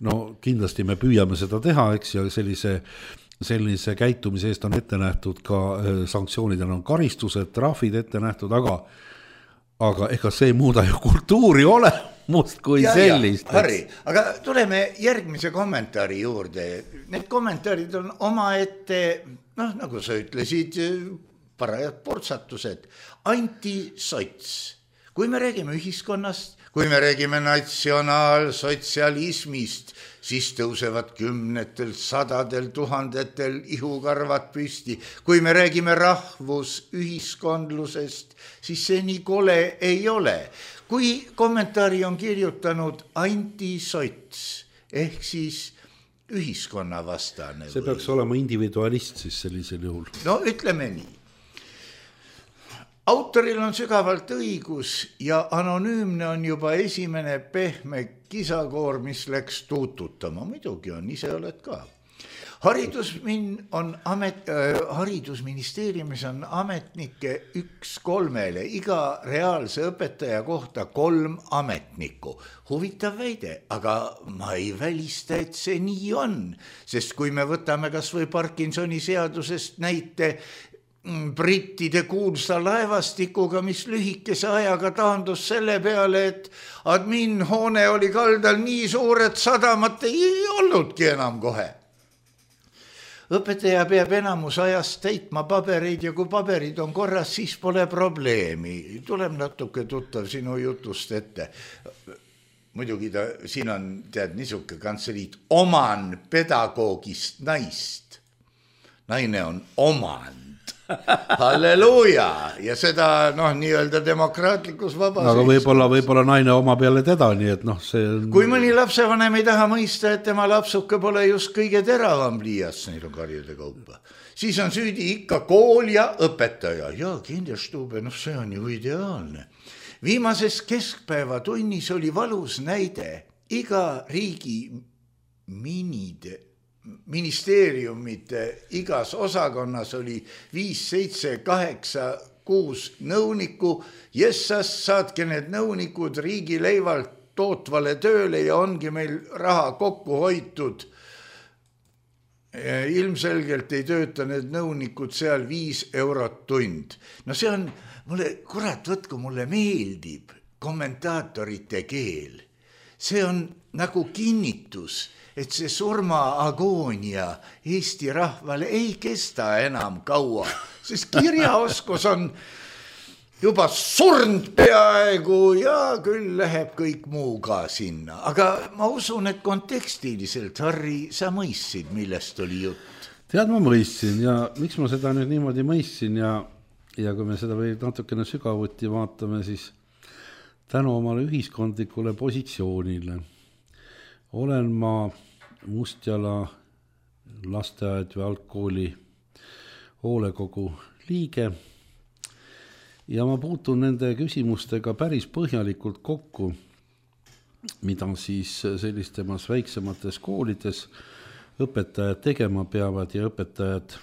No kindlasti me püüame seda teha, eks, ja sellise käitumise eest on ette nähtud ka sanktsioonidel on karistused, trahvid ette nähtud, aga ega see ei muuda ju kultuuri olemust kui sellist. Harri, aga tuleme järgmise kommentaari juurde. Need kommentaarid on omaette, nagu sa ütlesid, parajad portsatused. Antisots. Kui me räägime ühiskonnast, kui me räägime natsionaalsotsialismist, siis tõusevad 10, 100, 1000 ihukarvad püsti. Kui me räägime rahvusühiskondlusest, siis see nii kole ei ole. Kui kommentaari on kirjutanud antisots, ehk siis ühiskonna vastane. See peaks olema individualist siis sellisel juhul. No ütleme nii. Autoril on sügavalt õigus ja anonüümne on juba esimene pehme kisakoor, mis läks tuututama. Muidugi on, ise oled ka. haridusministeeriumis on ametnikke 1-3, iga reaalse õpetaja kohta 3 ametnikku. Huvitav väide, aga ma ei välista, et see nii on, sest kui me võtame kas või Parkinsoni seadusest näite brittide kuulsa laevastikuga, mis lühikese ajaga taandus selle peale, et adminhoone oli kaldal nii suur, et sadamat ei olnudki enam kohe. Õpetaja peab enamus ajast täitma pabereid ja kui paberid on korras, siis pole probleemi. Tuleb natuke tuttav sinu jutust ette. Muidugi siin on niisuke kantseliit oman pedagoogist naist. Naine on omand. Halleluuja! Ja seda nii-öelda demokraatlikus vabas. Aga võib-olla naine oma peale teda, nii et see on... Kui mõni lapsevanem ei taha mõista, et tema lapsuke pole just kõige teravam pliiats, neil on karjude kaupa, siis on süüdi ikka kool ja õpetaja. Ja Kinderstube, see on ju ideaalne. Viimases keskpäevatunnis oli valus näide. Iga riigi ministeeriumite igas osakonnas oli 5, 7, 8, 6 nõuniku. Jessas saatke need nõunikud riigi leivalt tootvale tööle ja ongi meil raha kokku hoitud. Ilmselgelt ei tööta need nõunikud seal 5 eurot tund. See on, mulle meeldib kommentaatorite keel. See on nagu kinnitus, et see surmaagoonia Eesti rahvale ei kesta enam kaua, sest kirjaoskus on juba surnud peaaegu ja küll läheb kõik muu ka sinna. Aga ma usun, et kontekstiliselt, Harri, sa mõistsid, millest oli jutt? Tead, ma mõistsin ja miks ma seda nüüd niimoodi mõistsin ja kui me seda või natukene sügavuti vaatame, siis tänu omale ühiskondlikule positsioonile olen ma Mustjala lasteaed või algkooli hoolekogu liige ja ma puutun nende küsimustega päris põhjalikult kokku, mida siis sellistemas väiksemates koolides õpetajad tegema peavad ja õpetajad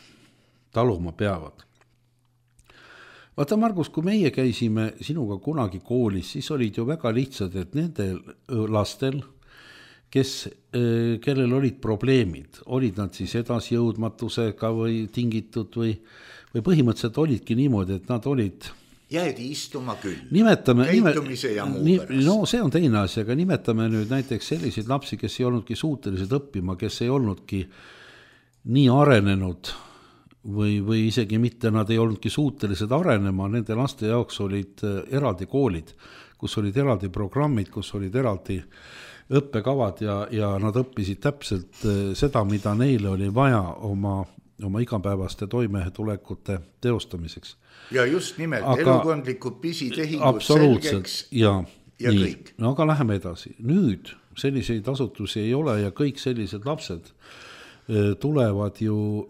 taluma peavad. Vaata, Margus, kui meie käisime sinuga kunagi koolis, siis olid ju väga lihtsad, et nendel lastel, kellel olid probleemid, olid nad siis edasjõudmatusega või tingitud või põhimõtteliselt olidki niimoodi, et nad olid... Jäädi istuma küll. Käitumise ja muu pärast. See on teine asi, aga nimetame nüüd näiteks selliseid lapsi, kes ei olnudki suutelised õppima, kes ei olnudki nii arenenud või isegi mitte, nad ei olnudki suutelised arenema, nende laste jaoks olid eraldi koolid, kus olid eraldi programmid, kus olid eraldi õppekavad ja nad õppisid täpselt seda, mida neile oli vaja oma igapäevaste toimetulekute teostamiseks. Ja just nimelt elukondlikud pisitehingud selgeks ja kõik. No aga läheme edasi. Nüüd selliseid asutusi ei ole ja kõik sellised lapsed tulevad ju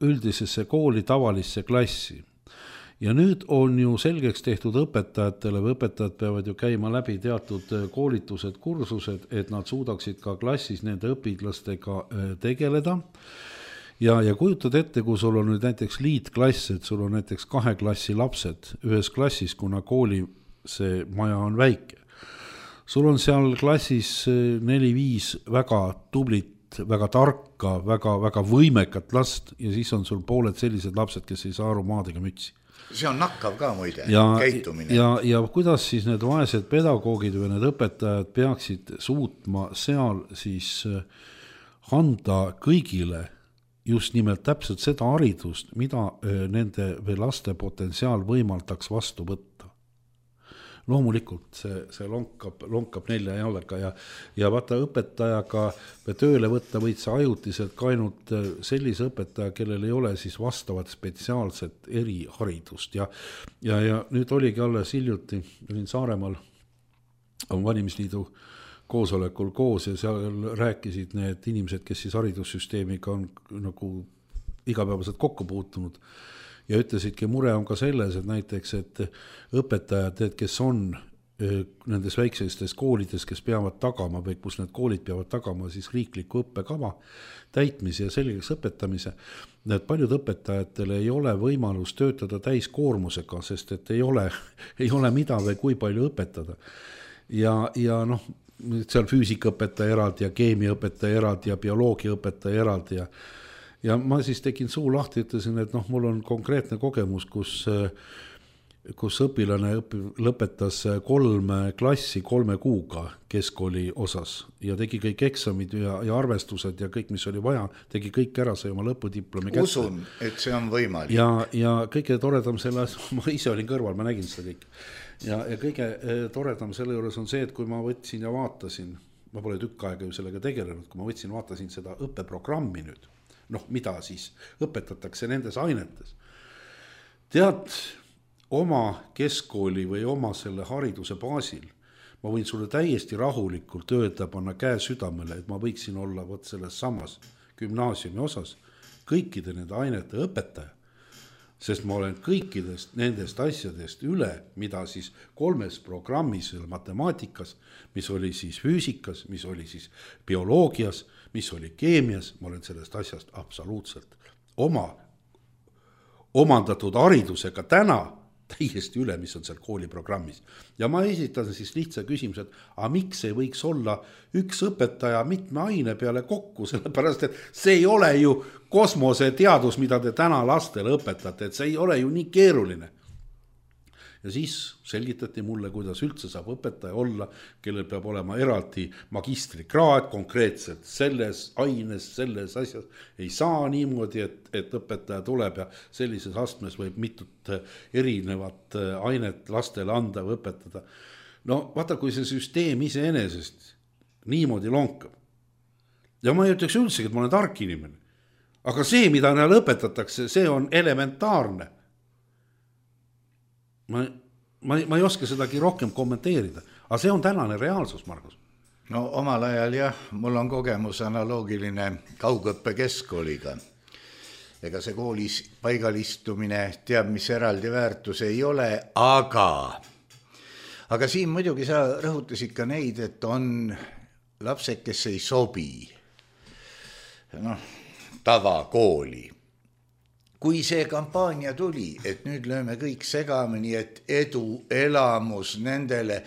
üldisesse kooli tavalisse klassi. Ja nüüd on ju selgeks tehtud õpetajatele või õpetajad peavad ju käima läbi teatud koolitused, kursused, et nad suudaksid ka klassis nende õpitlastega tegeleda. Ja kujutad ette, kui sul on nüüd näiteks liitklass, et sul on näiteks 2 klassi lapsed ühes klassis, kuna kooli see maja on väike. Sul on seal klassis 4-5 väga tublit, väga tarka, väga võimekat last ja siis on sul pooled sellised lapsed, kes ei saa aru maadega mütsi. See on nakkav ka muide, käitumine. Ja kuidas siis need vaesed pedagoogid või need õpetajad peaksid suutma seal siis anda kõigile just nimelt täpselt seda haridust, mida nende või laste potentsiaal võimaldaks vastu võtta. Loomulikult see lonkab 4 jalga ja vaata õpetajaga tööle võtta võid sa ajutiselt ka ainult sellise õpetaja, kellel ei ole siis vastavat spetsiaalset eriharidust ja nüüd oligi alles hiljuti, olin Saaremaal valimisliidu koosolekul koos ja seal rääkisid need inimesed, kes siis haridussüsteemiga on nagu igapäevaselt kokku puutunud. Ja ütlesidki, mure on ka selles, et näiteks, et õpetajad, kes on nendes väiksestes koolides, kes peavad tagama või kus need koolid peavad tagama siis riikliku õppekava täitmise ja selgeks õpetamise, et paljud õpetajatel ei ole võimalus töötada täiskoormusega, sest et ei ole mida või kui palju õpetada. Ja noh, seal füüsikaõpetaja eraldi ja keemiaõpetaja eraldi ja bioloogiaõpetaja eraldi ja ma siis tegin suu lahti, ütlesin, et noh, mul on konkreetne kogemus, kus õpilane lõpetas 3 klassi 3 kuuga keskkooli osas ja tegi kõik eksamid ja arvestused ja kõik, mis oli vaja, tegi kõik ära, sai oma lõpudiplomi kätte. Usun, et see on võimalik. Ja kõige toredam selle, ma ise olin kõrval, ma nägin seda kõik. Ja kõige toredam selle juures on see, et kui ma võtsin ja vaatasin, ma pole tükk aega ju sellega tegelenud, kui ma võtsin, vaatasin seda õppeprogrammi nüüd, noh, mida siis õpetatakse nendes ainetes. Tead, oma keskkooli või oma selle hariduse baasil, ma võin sulle täiesti rahulikult öelda, panna käe südamele, et ma võiksin olla võt selles samas gümnaasiumi osas kõikide nende ainete õpetaja, sest ma olen kõikidest nendest asjadest üle, mida siis 3 programmis matemaatikas, mis oli siis füüsikas, mis oli siis bioloogias, mis oli keemias, ma olen sellest asjast absoluutselt oma omandatud haridusega täna täiesti üle, mis on seal kooliprogrammis. Ja ma esitan siis lihtsa küsimuse, et aga miks ei võiks olla üks õpetaja mitme aine peale kokku, sellepärast, et see ei ole ju kosmoseteadus, mida te täna lastele õpetate, et see ei ole ju nii keeruline. Ja siis selgitati mulle, kuidas üldse saab õpetaja olla, kellel peab olema eraldi magistrikraad konkreetselt selles aines, selles asjas. Ei saa niimoodi, et õpetaja tuleb ja sellises astmes võib mitut erinevat ainet lastele anda või õpetada. No vaata, kui see süsteem iseenesest niimoodi lonkab. Ja ma ei ütleks üldsegi, et ma olen tark inimene. Aga see, mida neile õpetatakse, see on elementaarne. Ma ei oska sedagi rohkem kommenteerida, aga see on tänane reaalsus, Margus. No omal ajal jah, mul on kogemus analoogiline kaugõppe keskkooliga. Ega see koolis paigalistumine teab, mis eraldi väärtus ei ole, aga siin muidugi sa rõhutasid ka neid, et on lapsed, kes ei sobi tavakooli. Kui see kampaania tuli, et nüüd lööme kõik segamini, et edu elamus nendele,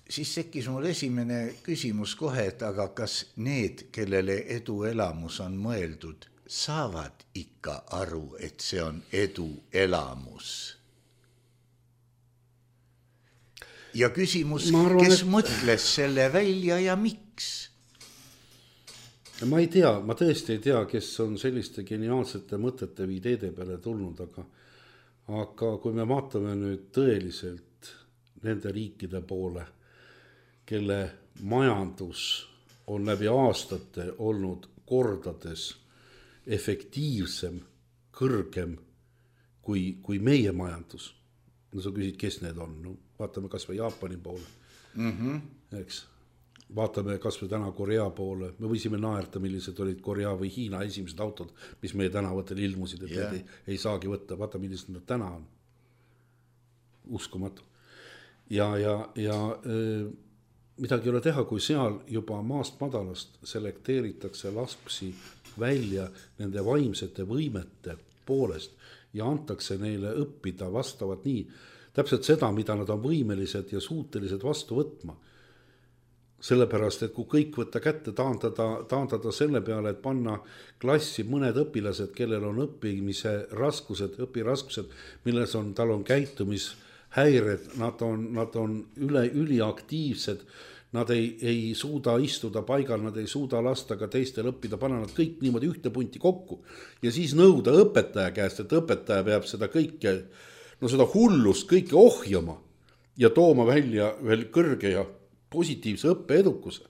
siis tekkis mul esimene küsimus kohe, et aga kas need, kellele edu elamus on mõeldud, saavad ikka aru, et see on edu elamus? Ja küsimus, kes mõtles selle välja ja miks? Ma ei tea, ma tõesti ei tea, kes on selliste geniaalsete mõtete või ideede peale tulnud, aga kui me vaatame nüüd tõeliselt nende riikide poole, kelle majandus on läbi aastate olnud kordades efektiivsem, kõrgem kui meie majandus. No sa küsid, kes need on? No, vaatame kas või Jaapani poole, eks. Vaatame kas või täna Korea poole, me võisime naerta, millised olid Korea või Hiina esimesed autod, mis meie tänavatel ilmusid, et need ei saagi võtta, vaata, millised nad täna on. Uskumatu. Ja midagi ei ole teha, kui seal juba maast madalast selekteeritakse lapsi välja nende vaimsete võimete poolest ja antakse neile õppida vastavalt nii, täpselt seda, mida nad on võimelised ja suutelised vastu võtma. Sellepärast, et kui kõik võtta kätte, taandada selle peale, et panna klassi mõned õpilased, kellel on õppimise raskused, õpiraskused, milles tal on käitumishäired, nad on üliaktiivsed, nad ei suuda istuda paigal, nad ei suuda lasta ka teistel õppida, panna nad kõik niimoodi ühte punti kokku ja siis nõuda õpetaja käest, et õpetaja peab seda kõike, seda hullust kõike ohjama ja tooma välja veel kõrge ja positiivse õppeedukuse,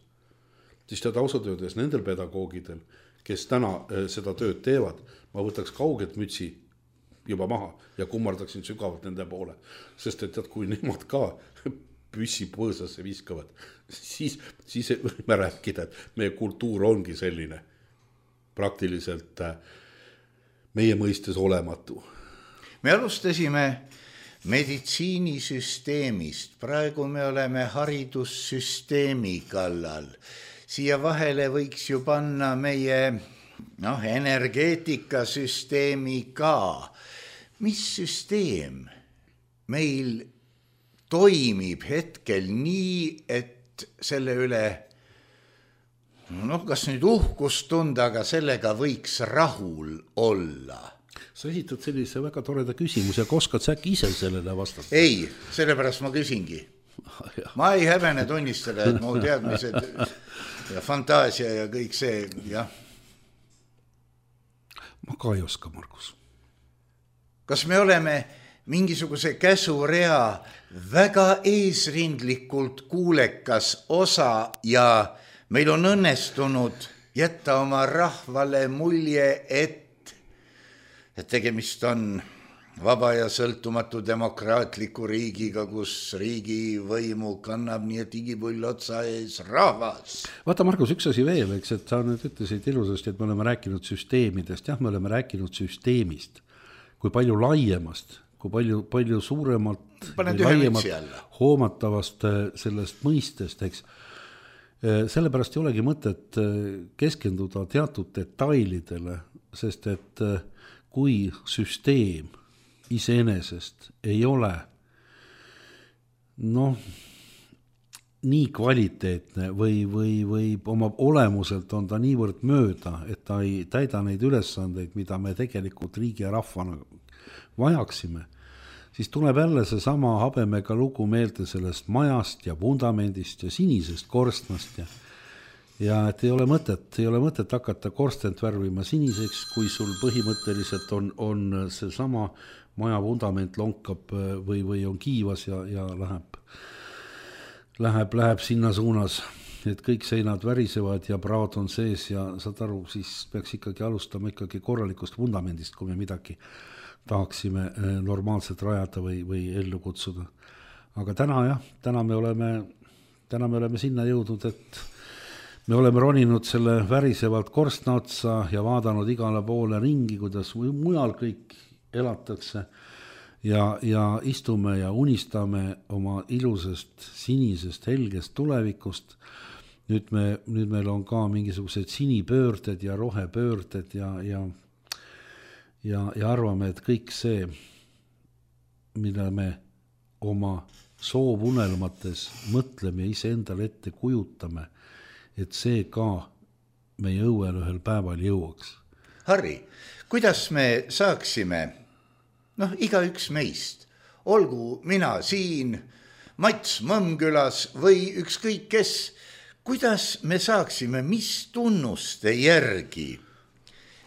siis tead ausalt öeldes nendel pedagoogidel, kes täna seda tööd teevad, ma võtaks kaugelt mütsi juba maha ja kummardaksin sügavalt nende poole, sest et tead, kui nemad ka püssi põõsasse viskavad, siis võime rääkida, et meie kultuur ongi selline praktiliselt meie mõistes olematu. Me alustasime meditsiinisüsteemist, praegu me oleme haridussüsteemi kallal. Siia vahele võiks ju panna meie energeetikasüsteemi ka. Mis süsteem meil toimib hetkel nii, et selle üle, kas nüüd uhkust tunda, aga sellega võiks rahul olla? Sa esitad sellise väga toreda küsimuse, aga oskad sa äkki ise sellele vastata? Ei, sellepärast ma küsingi. Ma ei häbene tunnistada, et mu teadmised ja fantaasia ja kõik see, jah. Ma ka ei oska, Margus. Kas me oleme mingisuguse käsurea väga eesrindlikult kuulekas osa ja meil on õnnestunud jätta oma rahvale mulje, et tegemist on vaba ja sõltumatu demokraatliku riigiga, kus riigi võimu kannab nii, et igipull otsa ees rahvas. Vaata, Margus, üks asi veel, eks, et sa nüüd ütlesid ilusasti, et me oleme rääkinud süsteemidest. Jah, me oleme rääkinud süsteemist, kui palju laiemast, kui palju suuremalt hoomatavast sellest mõistest, eks. Sellepärast ei olegi mõtet keskenduda teatud detailidele, sest et kui süsteem iseenesest ei ole nii kvaliteetne või oma olemuselt on ta niivõrd mööda, et ta ei täida neid ülesandeid, mida me tegelikult riigi ja rahvana vajaksime, siis tuleb jälle see sama habemega lugu meelde sellest majast ja vundamendist ja sinisest korstnast ja et ei ole mõtet hakata korstent värvima siniseks, kui sul põhimõtteliselt on see sama maja vundament lonkab või on kiivas ja läheb sinna suunas, et kõik seinad värisevad ja praod on sees ja saad aru, siis peaks ikkagi alustama ikkagi korralikust vundamendist, kui me midagi tahaksime normaalselt rajada või ellu kutsuda. Aga täna me oleme sinna jõudnud, et me oleme roninud selle värisevalt korstna otsa ja vaadanud igale poole ringi, kuidas mujal kõik elatakse ja istume ja unistame oma ilusast sinisest helgest tulevikust. Nüüd meil on ka mingisugused sinipöörded ja rohepöörded ja arvame, et kõik see, mida me oma soovunelmates mõtleme ja ise endale ette kujutame, et see ka meie õuel ühel päeval jõuaks. Harri, kuidas me saaksime, igaüks meist, olgu mina siin, Mats Mõmmkülas või ükskõik kes, kuidas me saaksime, mis tunnuste järgi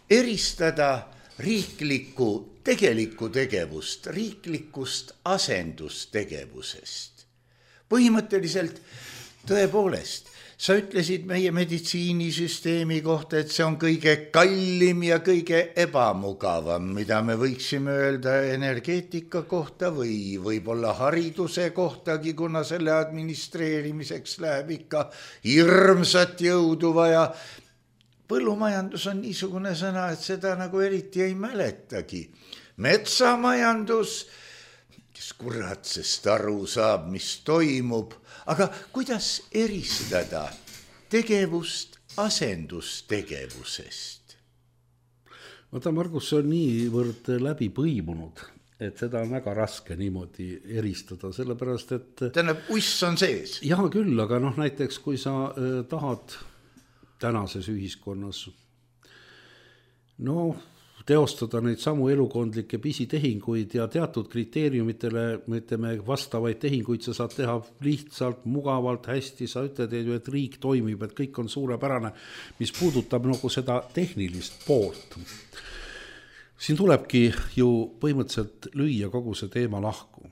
eristada riiklikku tegelikku tegevust, riiklikust asendustegevusest. Põhimõtteliselt tõepoolest, sa ütlesid meie meditsiinisüsteemi kohta, et see on kõige kallim ja kõige ebamugavam, mida me võiksime öelda energeetika kohta või võib-olla hariduse kohtagi, kuna selle administreerimiseks läheb ikka hirmsat jõudu vaja. Põllumajandus on niisugune sõna, et seda nagu eriti ei mäletagi. Metsamajandus, kes kurat sest aru saab, mis toimub, aga kuidas eristada tegevust asendustegevusest? Vaata, Margus, see on niivõrd läbi põimunud, et seda on väga raske niimoodi eristada, sellepärast, et tähendab, uss on sees. Jah, küll, aga näiteks kui sa tahad tänases ühiskonnas teostada neid samu elukondlikke pisitehinguid ja teatud kriteeriumitele, ütleme, vastavaid tehinguid sa saad teha lihtsalt, mugavalt, hästi, sa ütled, et riik toimib, et kõik on suurepärane, mis puudutab nagu seda tehnilist poolt. Siin tulebki ju põhimõtteliselt lüüa kogu see teema lahku.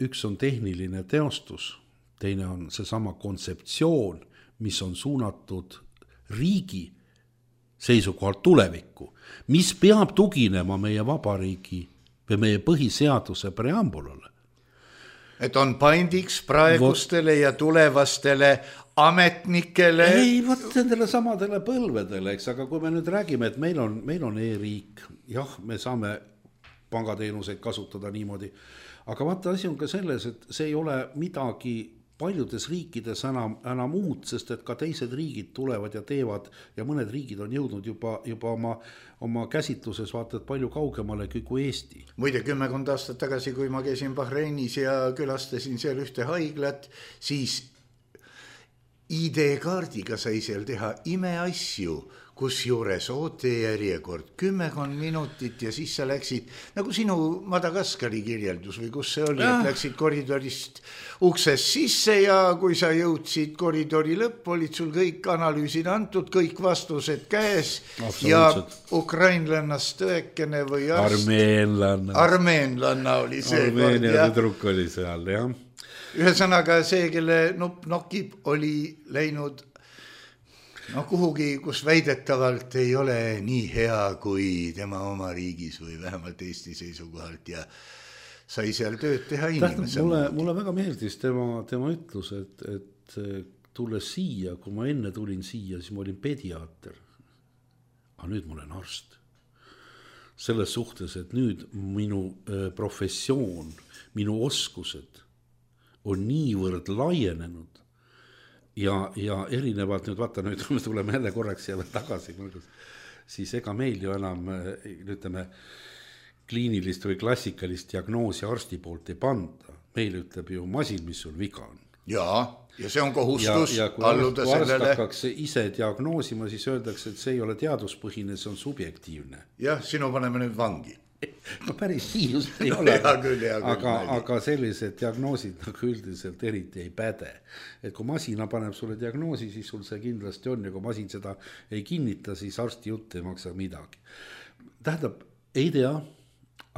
Üks on tehniline teostus, teine on see sama kontseptsioon, mis on suunatud riigi seisukohalt tulevikku, mis peab tuginema meie vabariigi või meie põhiseaduse preambulale. Et on paindiks praegustele ja tulevastele ametnikele. Ei, nendele samadele põlvedele, eks, aga kui me nüüd räägime, et meil on e-riik, jah, me saame pangateenuseid kasutada niimoodi. Aga vaata, asi on ka selles, et see ei ole midagi paljudes riikides enam uut, sest et ka teised riigid tulevad ja teevad ja mõned riigid on jõudnud juba oma käsitluses vaata, et palju kaugemale kui Eesti. Muide, 10 aastat tagasi, kui ma käisin Bahreinis ja külastasin seal ühte haiglat, siis ID-kaardiga sai seal teha imeasju, kus juures ootejärjekord 10 minutit ja siis sa läksid, nagu sinu Madagaskari kirjeldus või kus see oli, et läksid koridorist uksest sisse ja kui sa jõudsid koridori lõpp, olid sul kõik analüüsid antud, kõik vastused käes ja ukrainlannast tõekene või armeenlanna oli see. Armeenia tüdruk oli seal, jah. Ühesõnaga see, kelle nupp nokib, oli läinud kuhugi, kus väidetavalt ei ole nii hea kui tema oma riigis või vähemalt Eesti seisukohalt ja sai seal tööd teha inimesele. Mulle väga meeldis tema ütlus, et tulles siia, kui ma enne tulin siia, siis ma olin pediaater. Aga nüüd ma olen arst. Selles suhtes, et nüüd minu professioon, minu oskused on niivõrd laienenud ja erinevalt nüüd, vaata nüüd, me tuleme jälle korraks jälle tagasi, siis ega meil ju enam, ütleme, kliinilist või klassikalist diagnoosi arsti poolt ei panda. Meil ütleb ju masin, mis sul viga on. Ja see on kohustus alluda sellele. Kui arst hakkaks ise diagnoosima, siis öeldakse, et see ei ole teaduspõhine, see on subjektiivne. Jah, sinu paneme nüüd vangi. No päris nii just ei ole, aga sellised diagnoosid nagu üldiselt eriti ei päde. Et kui masina paneb sulle diagnoosi, siis sul see kindlasti on ja kui masin seda ei kinnita, siis arsti jutt ei maksa midagi. Tähendab, ei tea,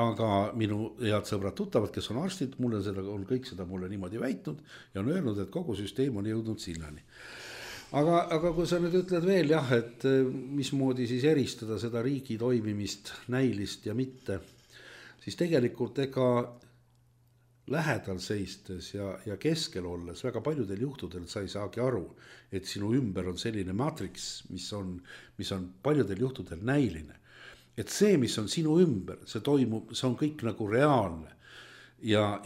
aga minu head sõbrad tuttavad, kes on arstid, on kõik seda mulle niimoodi väitnud ja on öelnud, et kogu süsteem on jõudnud sinnani. Aga kui sa nüüd ütled veel jah, et mismoodi siis eristada seda riigi toimimist näilist ja mitte, siis tegelikult ega lähedal seistes ja keskel olles väga paljudel juhtudel sa ei saagi aru, et sinu ümber on selline matriks, mis on paljudel juhtudel näiline. Et see, mis on sinu ümber, see toimub, see on kõik nagu reaalne. Ja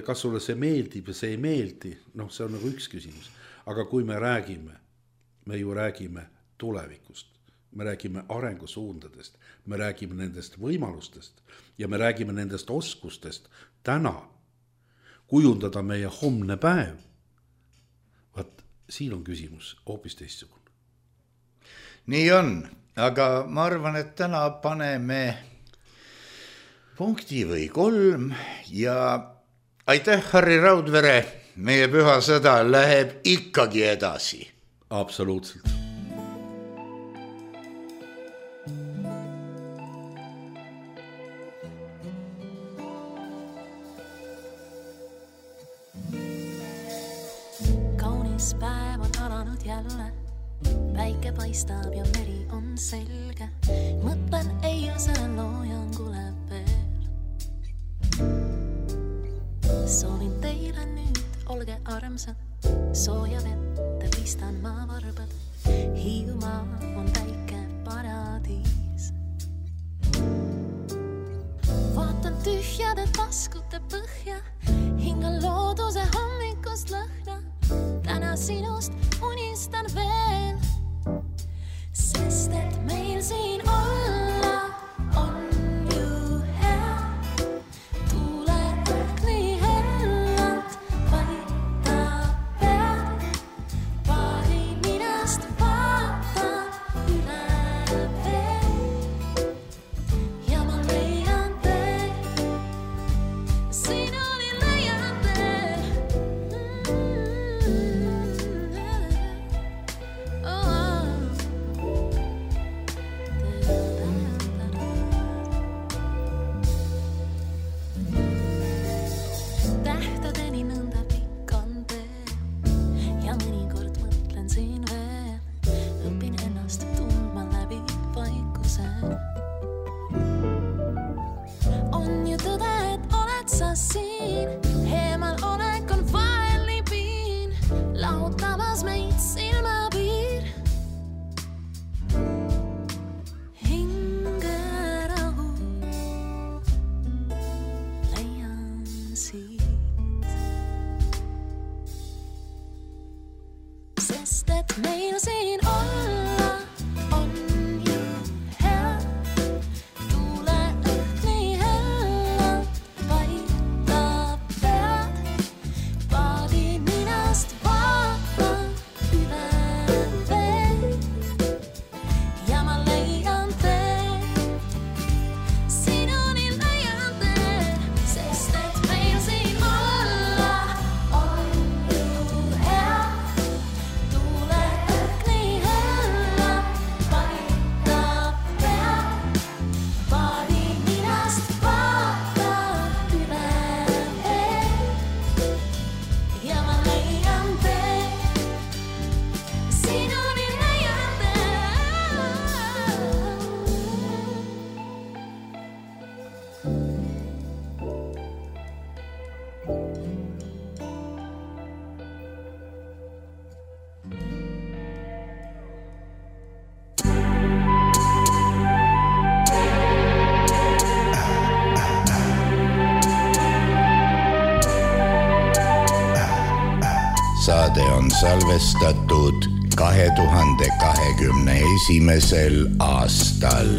kas sulle see meeldib ja see ei meeldi, see on nagu üks küsimus. Aga kui me ju räägime tulevikust, me räägime arengusuundadest, me räägime nendest võimalustest ja me räägime nendest oskustest täna kujundada meie homne päev, vaat siin on küsimus hoopis teistsugune. Nii on, aga ma arvan, et täna paneme punkti või 3 ja aitäh, Harri Raudvere. Meie püha sõda läheb ikkagi edasi. Absoluutselt. Kaunis päev on alanud jälle, päike paistab ja meri on selge. Mõtlen eilsele loojangule veel. Soovin teile nüüd, olge armsad, sooja vette pistan ma varbad. Hiiumaa on väike paradiis. Vaatan tühjade taskute põhja, hingan looduse hommikust lõhna. Täna sinust unistan veel, sest et meil siin olla on ju hea. Tule õhk nii hellalt, vaita pead, paari ninast vaata üle veel. Ja ma leian tee, sinuni leian tee. Tähtedeni nõnda pikkan tee ja mõnikord mõtlen siin veel, õpin ennast tundma läbi vaikuse. On ju tõde, et oled sa siin, eemal olek on vahel nii piin, lahutamas meid silmapiir. Hinge rahu, siit. Sest et meil siin olla on ju hea. Tuule õhk nii hellalt vaitab pead. Paadi ninast vaatan üle vee. Ja ma leian tee. Sinuni leian tee. Sest et meil siin olla on ju hea. Tuule õhk nii hellalt vaitab pead. Paadi ninast vaatan üle vee. Ja ma leian tee. Sinuni leian tee. Saade on salvestatud 2021. aastal.